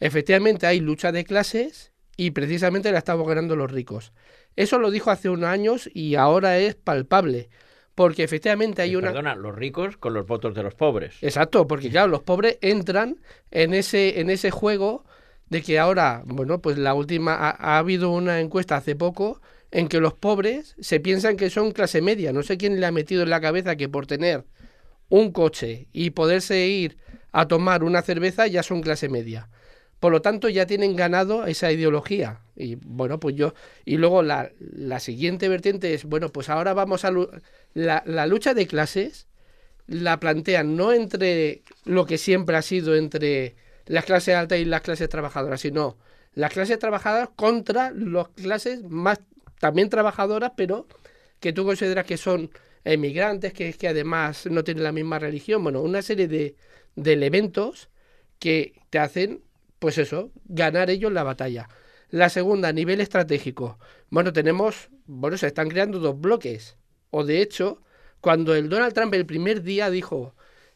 Speaker 2: Efectivamente hay lucha de clases y precisamente la estamos ganando los ricos. Eso lo dijo hace unos años y ahora es palpable. Porque efectivamente hay una...
Speaker 1: Perdona, los ricos con los votos de los pobres.
Speaker 2: Exacto, porque claro, los pobres entran en ese, en ese juego de que ahora, bueno, pues la última, ha, ha habido una encuesta hace poco en que los pobres se piensan que son clase media. No sé quién le ha metido en la cabeza que por tener un coche y poderse ir a tomar una cerveza ya son clase media. Por lo tanto, ya tienen ganado esa ideología. Y bueno, pues yo. Y luego la, la siguiente vertiente es, bueno, pues ahora vamos a. La, la lucha de clases la plantean no entre lo que siempre ha sido entre las clases altas y las clases trabajadoras, sino las clases trabajadoras contra las clases más también trabajadoras, pero que tú consideras que son emigrantes, que, que además no tienen la misma religión. Bueno, una serie de, de elementos que te hacen, pues eso, ganar ellos la batalla. La segunda, a nivel estratégico. Bueno, tenemos, bueno, se están creando dos bloques. O de hecho, cuando el Donald Trump el primer día dijo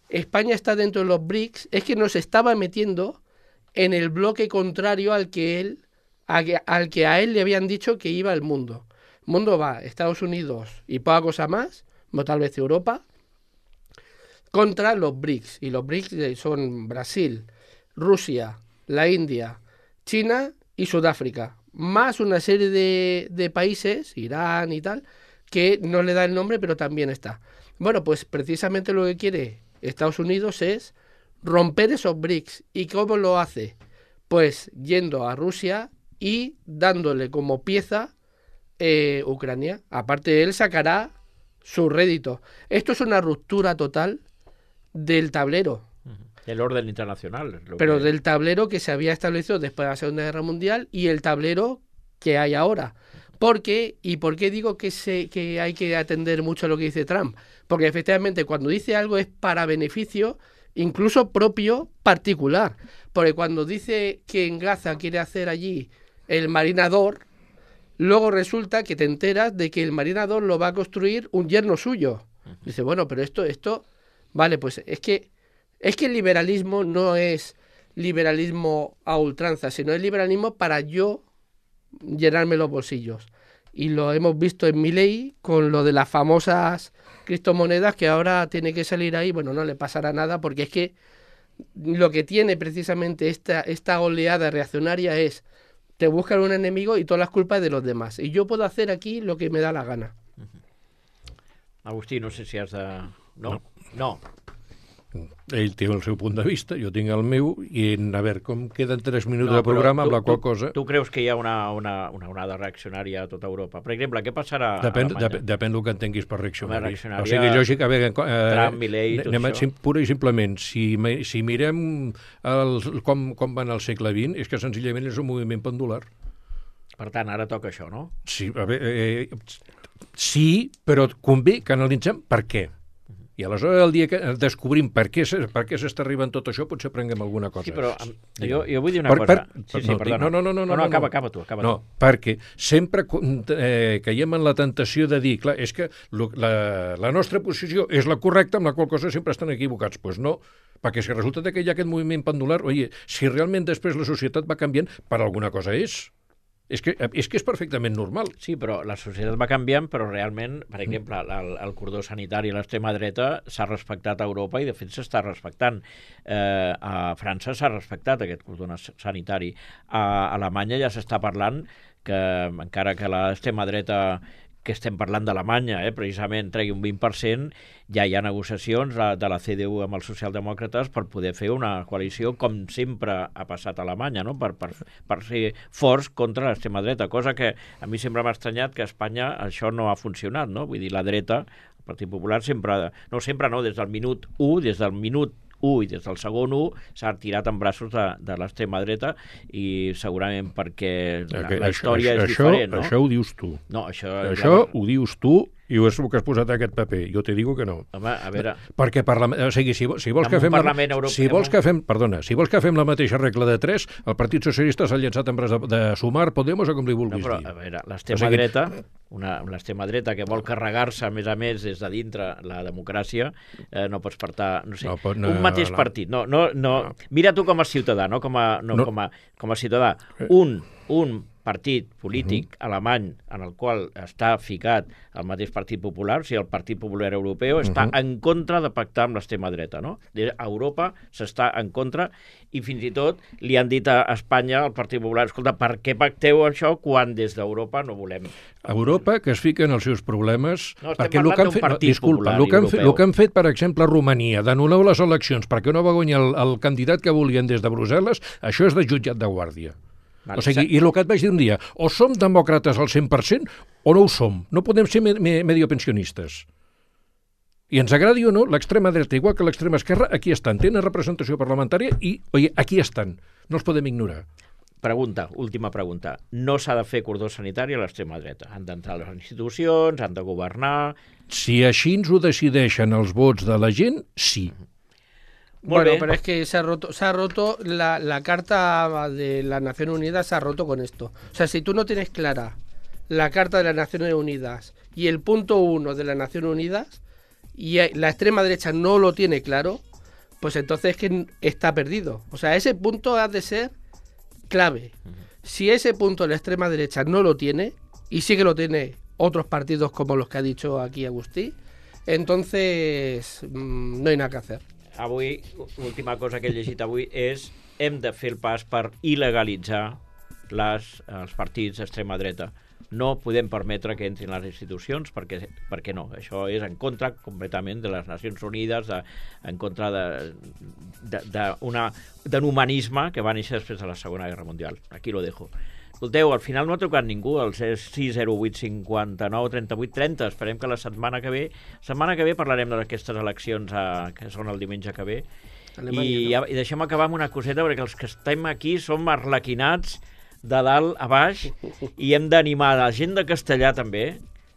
Speaker 2: España está dentro de los BRICS, es que nos estaba metiendo en el bloque contrario al que él, a, al que a él le habían dicho que iba el mundo. El mundo va Estados Unidos y poca cosa más, o tal vez Europa, contra los BRICS. Y los BRICS son Brasil, Rusia, la India, China y Sudáfrica, más una serie de, de países, Irán y tal, que no le da el nombre, pero también está. Bueno, pues precisamente lo que quiere Estados Unidos es romper esos BRICS. ¿Y cómo lo hace? Pues yendo a Rusia y dándole como pieza eh, Ucrania. Aparte, él sacará su rédito. Esto es una ruptura total del tablero.
Speaker 1: El orden internacional. Es lo
Speaker 2: pero
Speaker 1: que...
Speaker 2: del tablero que se había establecido después de la Segunda Guerra Mundial y el tablero que hay ahora. ¿Por qué? ¿Y por qué digo que, se, que hay que atender mucho a lo que dice Trump? Porque efectivamente cuando dice algo es para beneficio incluso propio particular. Porque cuando dice que en Gaza quiere hacer allí el marinador, luego resulta que te enteras de que el marinador lo va a construir un yerno suyo. Dice, bueno, pero esto, esto, vale, pues es que, es que el liberalismo no es liberalismo a ultranza, sino es liberalismo para yo llenarme los bolsillos. Y lo hemos visto en Milei con lo de las famosas criptomonedas, que ahora tiene que salir ahí. Bueno, no le pasará nada, porque es que lo que tiene precisamente esta, esta oleada reaccionaria es te buscan un enemigo y todas las culpas de los demás. Y yo puedo hacer aquí lo que me da la gana.
Speaker 1: Agustí, no sé si has de... No? No.
Speaker 4: Ell té el seu punt de vista, jo tinc el meu, i a veure, com queden tres minuts
Speaker 1: no,
Speaker 4: de programa,
Speaker 1: tu,
Speaker 4: amb la qual
Speaker 1: tu,
Speaker 4: cosa...
Speaker 1: Tu creus que hi ha una, una, una onada reaccionària a tota Europa? Per exemple, què passarà
Speaker 4: depèn,
Speaker 1: a Alemanya?
Speaker 4: Depèn, depèn del que entenguis per reaccionari.
Speaker 1: reaccionària...
Speaker 4: O sigui, lògic, a veure... Eh,
Speaker 1: Trump, Milei, tot
Speaker 4: anem,
Speaker 1: això.
Speaker 4: Pura i simplement, si, si mirem el, com, com van al segle vint, és que senzillament és un moviment pendular.
Speaker 1: Per tant, ara toca això, no?
Speaker 4: Sí, a veure, eh, sí, però convé que analitzem per què. I aleshores el dia que descobrim per què, per què s'està arribant tot això, potser prenguem alguna cosa.
Speaker 1: Sí, però jo, jo vull dir una
Speaker 4: per,
Speaker 1: cosa.
Speaker 4: Per,
Speaker 1: sí, sí,
Speaker 4: no,
Speaker 1: perdona.
Speaker 4: no, no, no, no,
Speaker 1: no, no, acaba,
Speaker 4: no.
Speaker 1: acaba tu, acaba
Speaker 4: no,
Speaker 1: tu.
Speaker 4: Perquè sempre eh, caiem en la tentació de dir, clar, és que lo, la, la nostra posició és la correcta, amb la qual cosa sempre estan equivocats. Doncs pues no, perquè si resulta que hi ha aquest moviment pendular, oi, si realment després la societat va canviant, per alguna cosa és. És que, és que és perfectament normal.
Speaker 1: Sí, però la societat va canviant, però realment, per exemple, el, el cordó sanitari a l'extrema dreta s'ha respectat a Europa i, de fet, s'està respectant. Eh, a França s'ha respectat aquest cordó sanitari. A Alemanya ja s'està parlant que, encara que l'extrema dreta que estem parlant d'Alemanya, eh, precisament tregui un vint per cent, ja hi ha negociacions de la C D U amb els socialdemòcrates per poder fer una coalició com sempre ha passat a Alemanya, no? per, per, per ser forts contra l'extrema dreta, cosa que a mi sempre m'ha estranyat que a Espanya això no ha funcionat, no? Vull dir, la dreta, el Partit Popular sempre, no sempre no, des del minut u, des del minut u i des del segon u s'ha tirat en braços de, de l'extrema dreta i segurament perquè la, la història
Speaker 4: això,
Speaker 1: és diferent, no?
Speaker 4: Això ho dius tu.
Speaker 1: No, això...
Speaker 4: Això
Speaker 1: ja...
Speaker 4: ho dius tu i és el que has posat a aquest paper. Jo te digo que no.
Speaker 1: Home, a veure...
Speaker 4: Perquè parla... o sigui, si, si vols
Speaker 1: en
Speaker 4: que fem... La...
Speaker 1: Europeu...
Speaker 4: Si vols que fem... Perdona, si vols que fem la mateixa regla de tres, el Partit Socialista s'ha llançat en braç de, de Sumar, Podemos o com li vulguis
Speaker 1: no, però,
Speaker 4: dir.
Speaker 1: A veure, l'extrema o sigui... dreta, una, l'extrema dreta que vol carregar-se, a més a més, des de dintre la democràcia, eh, no pots portar, no sé, no, pot, no, un mateix no, partit. No, no, no. no. Mira tu com a ciutadà, no com a, no, no. Com a, com a ciutadà. Un, un partit polític uh-huh. alemany en el qual està ficat el mateix Partit Popular, o sigui, el Partit Popular Europeu, està uh-huh. en contra de pactar amb l'extrema dreta, no? A Europa s'està en contra i fins i tot li han dit a Espanya, al Partit Popular, escolta, per què pacteu això quan des d'Europa no volem...
Speaker 4: Europa, que es fica en els seus problemes...
Speaker 1: No, estem parlant d'un
Speaker 4: fet,
Speaker 1: Partit
Speaker 4: no, disculpa,
Speaker 1: Popular
Speaker 4: el que, han
Speaker 1: Europeu.
Speaker 4: fet, el que han fet, per exemple, a Romania, d'anul·lar les eleccions perquè no va guanyar el, el candidat que volien des de Brussel·les, això és de jutjat de guàrdia. Vale, o sigui, i el que et vaig dir un dia, o som demòcrates al cent per cent o no ho som. No podem ser me me mediopensionistes. I ens agradi o no, l'extrema dreta, igual que l'extrema esquerra, aquí estan. Tenen representació parlamentària i, oi, aquí estan. No els podem ignorar.
Speaker 1: Pregunta, última pregunta. No s'ha de fer cordó sanitari a l'extrema dreta. Han d'entrar a les institucions, han de governar...
Speaker 4: Si així ens ho decideixen els vots de la gent, sí.
Speaker 2: Bueno, pero es que se ha roto, se ha roto la, la Carta de las Naciones Unidas, se ha roto con esto. O sea, si tú no tienes clara la Carta de las Naciones Unidas y el punto uno de las Naciones Unidas y la extrema derecha no lo tiene claro, pues entonces es que está perdido. O sea, ese punto ha de ser clave. Si ese punto la extrema derecha no lo tiene, y sí que lo tiene otros partidos como los que ha dicho aquí Agustí, entonces mmm, no hay nada que hacer.
Speaker 1: Avui, l'última cosa que he llegit avui és hem de fer el pas per il·legalitzar les, els partits d'extrema dreta. No podem permetre que entrin les institucions perquè, perquè no, això és en contra completament de les Nacions Unides, de, en contra d'un humanisme que va néixer després de la Segona Guerra Mundial. Aquí lo dejo. Escolteu, al final no ha trucat ningú, el sis zero vuit cinquanta-nou trenta-vuit trenta. Esperem que la setmana que ve... La setmana que ve parlarem d'aquestes eleccions a, que són el diumenge que ve. I, I deixem acabar amb una coseta, perquè els que estem aquí som arlequinats de dalt a baix i hem d'animar la gent de Castellà també,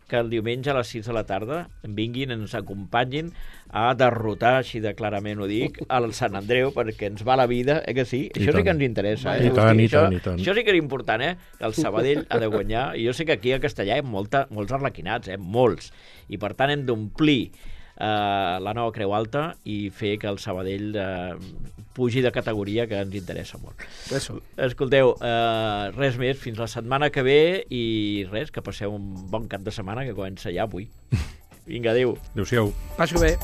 Speaker 1: que el diumenge a les sis de la tarda vinguin, ens acompanyin a derrotar, així de clarament ho dic, al Sant Andreu, perquè ens va la vida, eh que sí? I això tant. Sí que ens interessa. Eh?
Speaker 4: I tant, i tant, i tant.
Speaker 1: Això sí que era important, eh? Que el Sabadell ha de guanyar. I jo sé que aquí a Castellà hi ha molta, molts arlequinats, eh? Molts. I per tant hem d'omplir Uh, la nova Creu Alta i fer que el Sabadell uh, pugi de categoria, que ens interessa molt.
Speaker 2: Eso.
Speaker 1: Escolteu, uh, res més, fins la setmana que ve i res, que passeu un bon cap de setmana que comença ja avui. Vinga, adéu.
Speaker 4: Adéu-siau.
Speaker 2: Passi bé.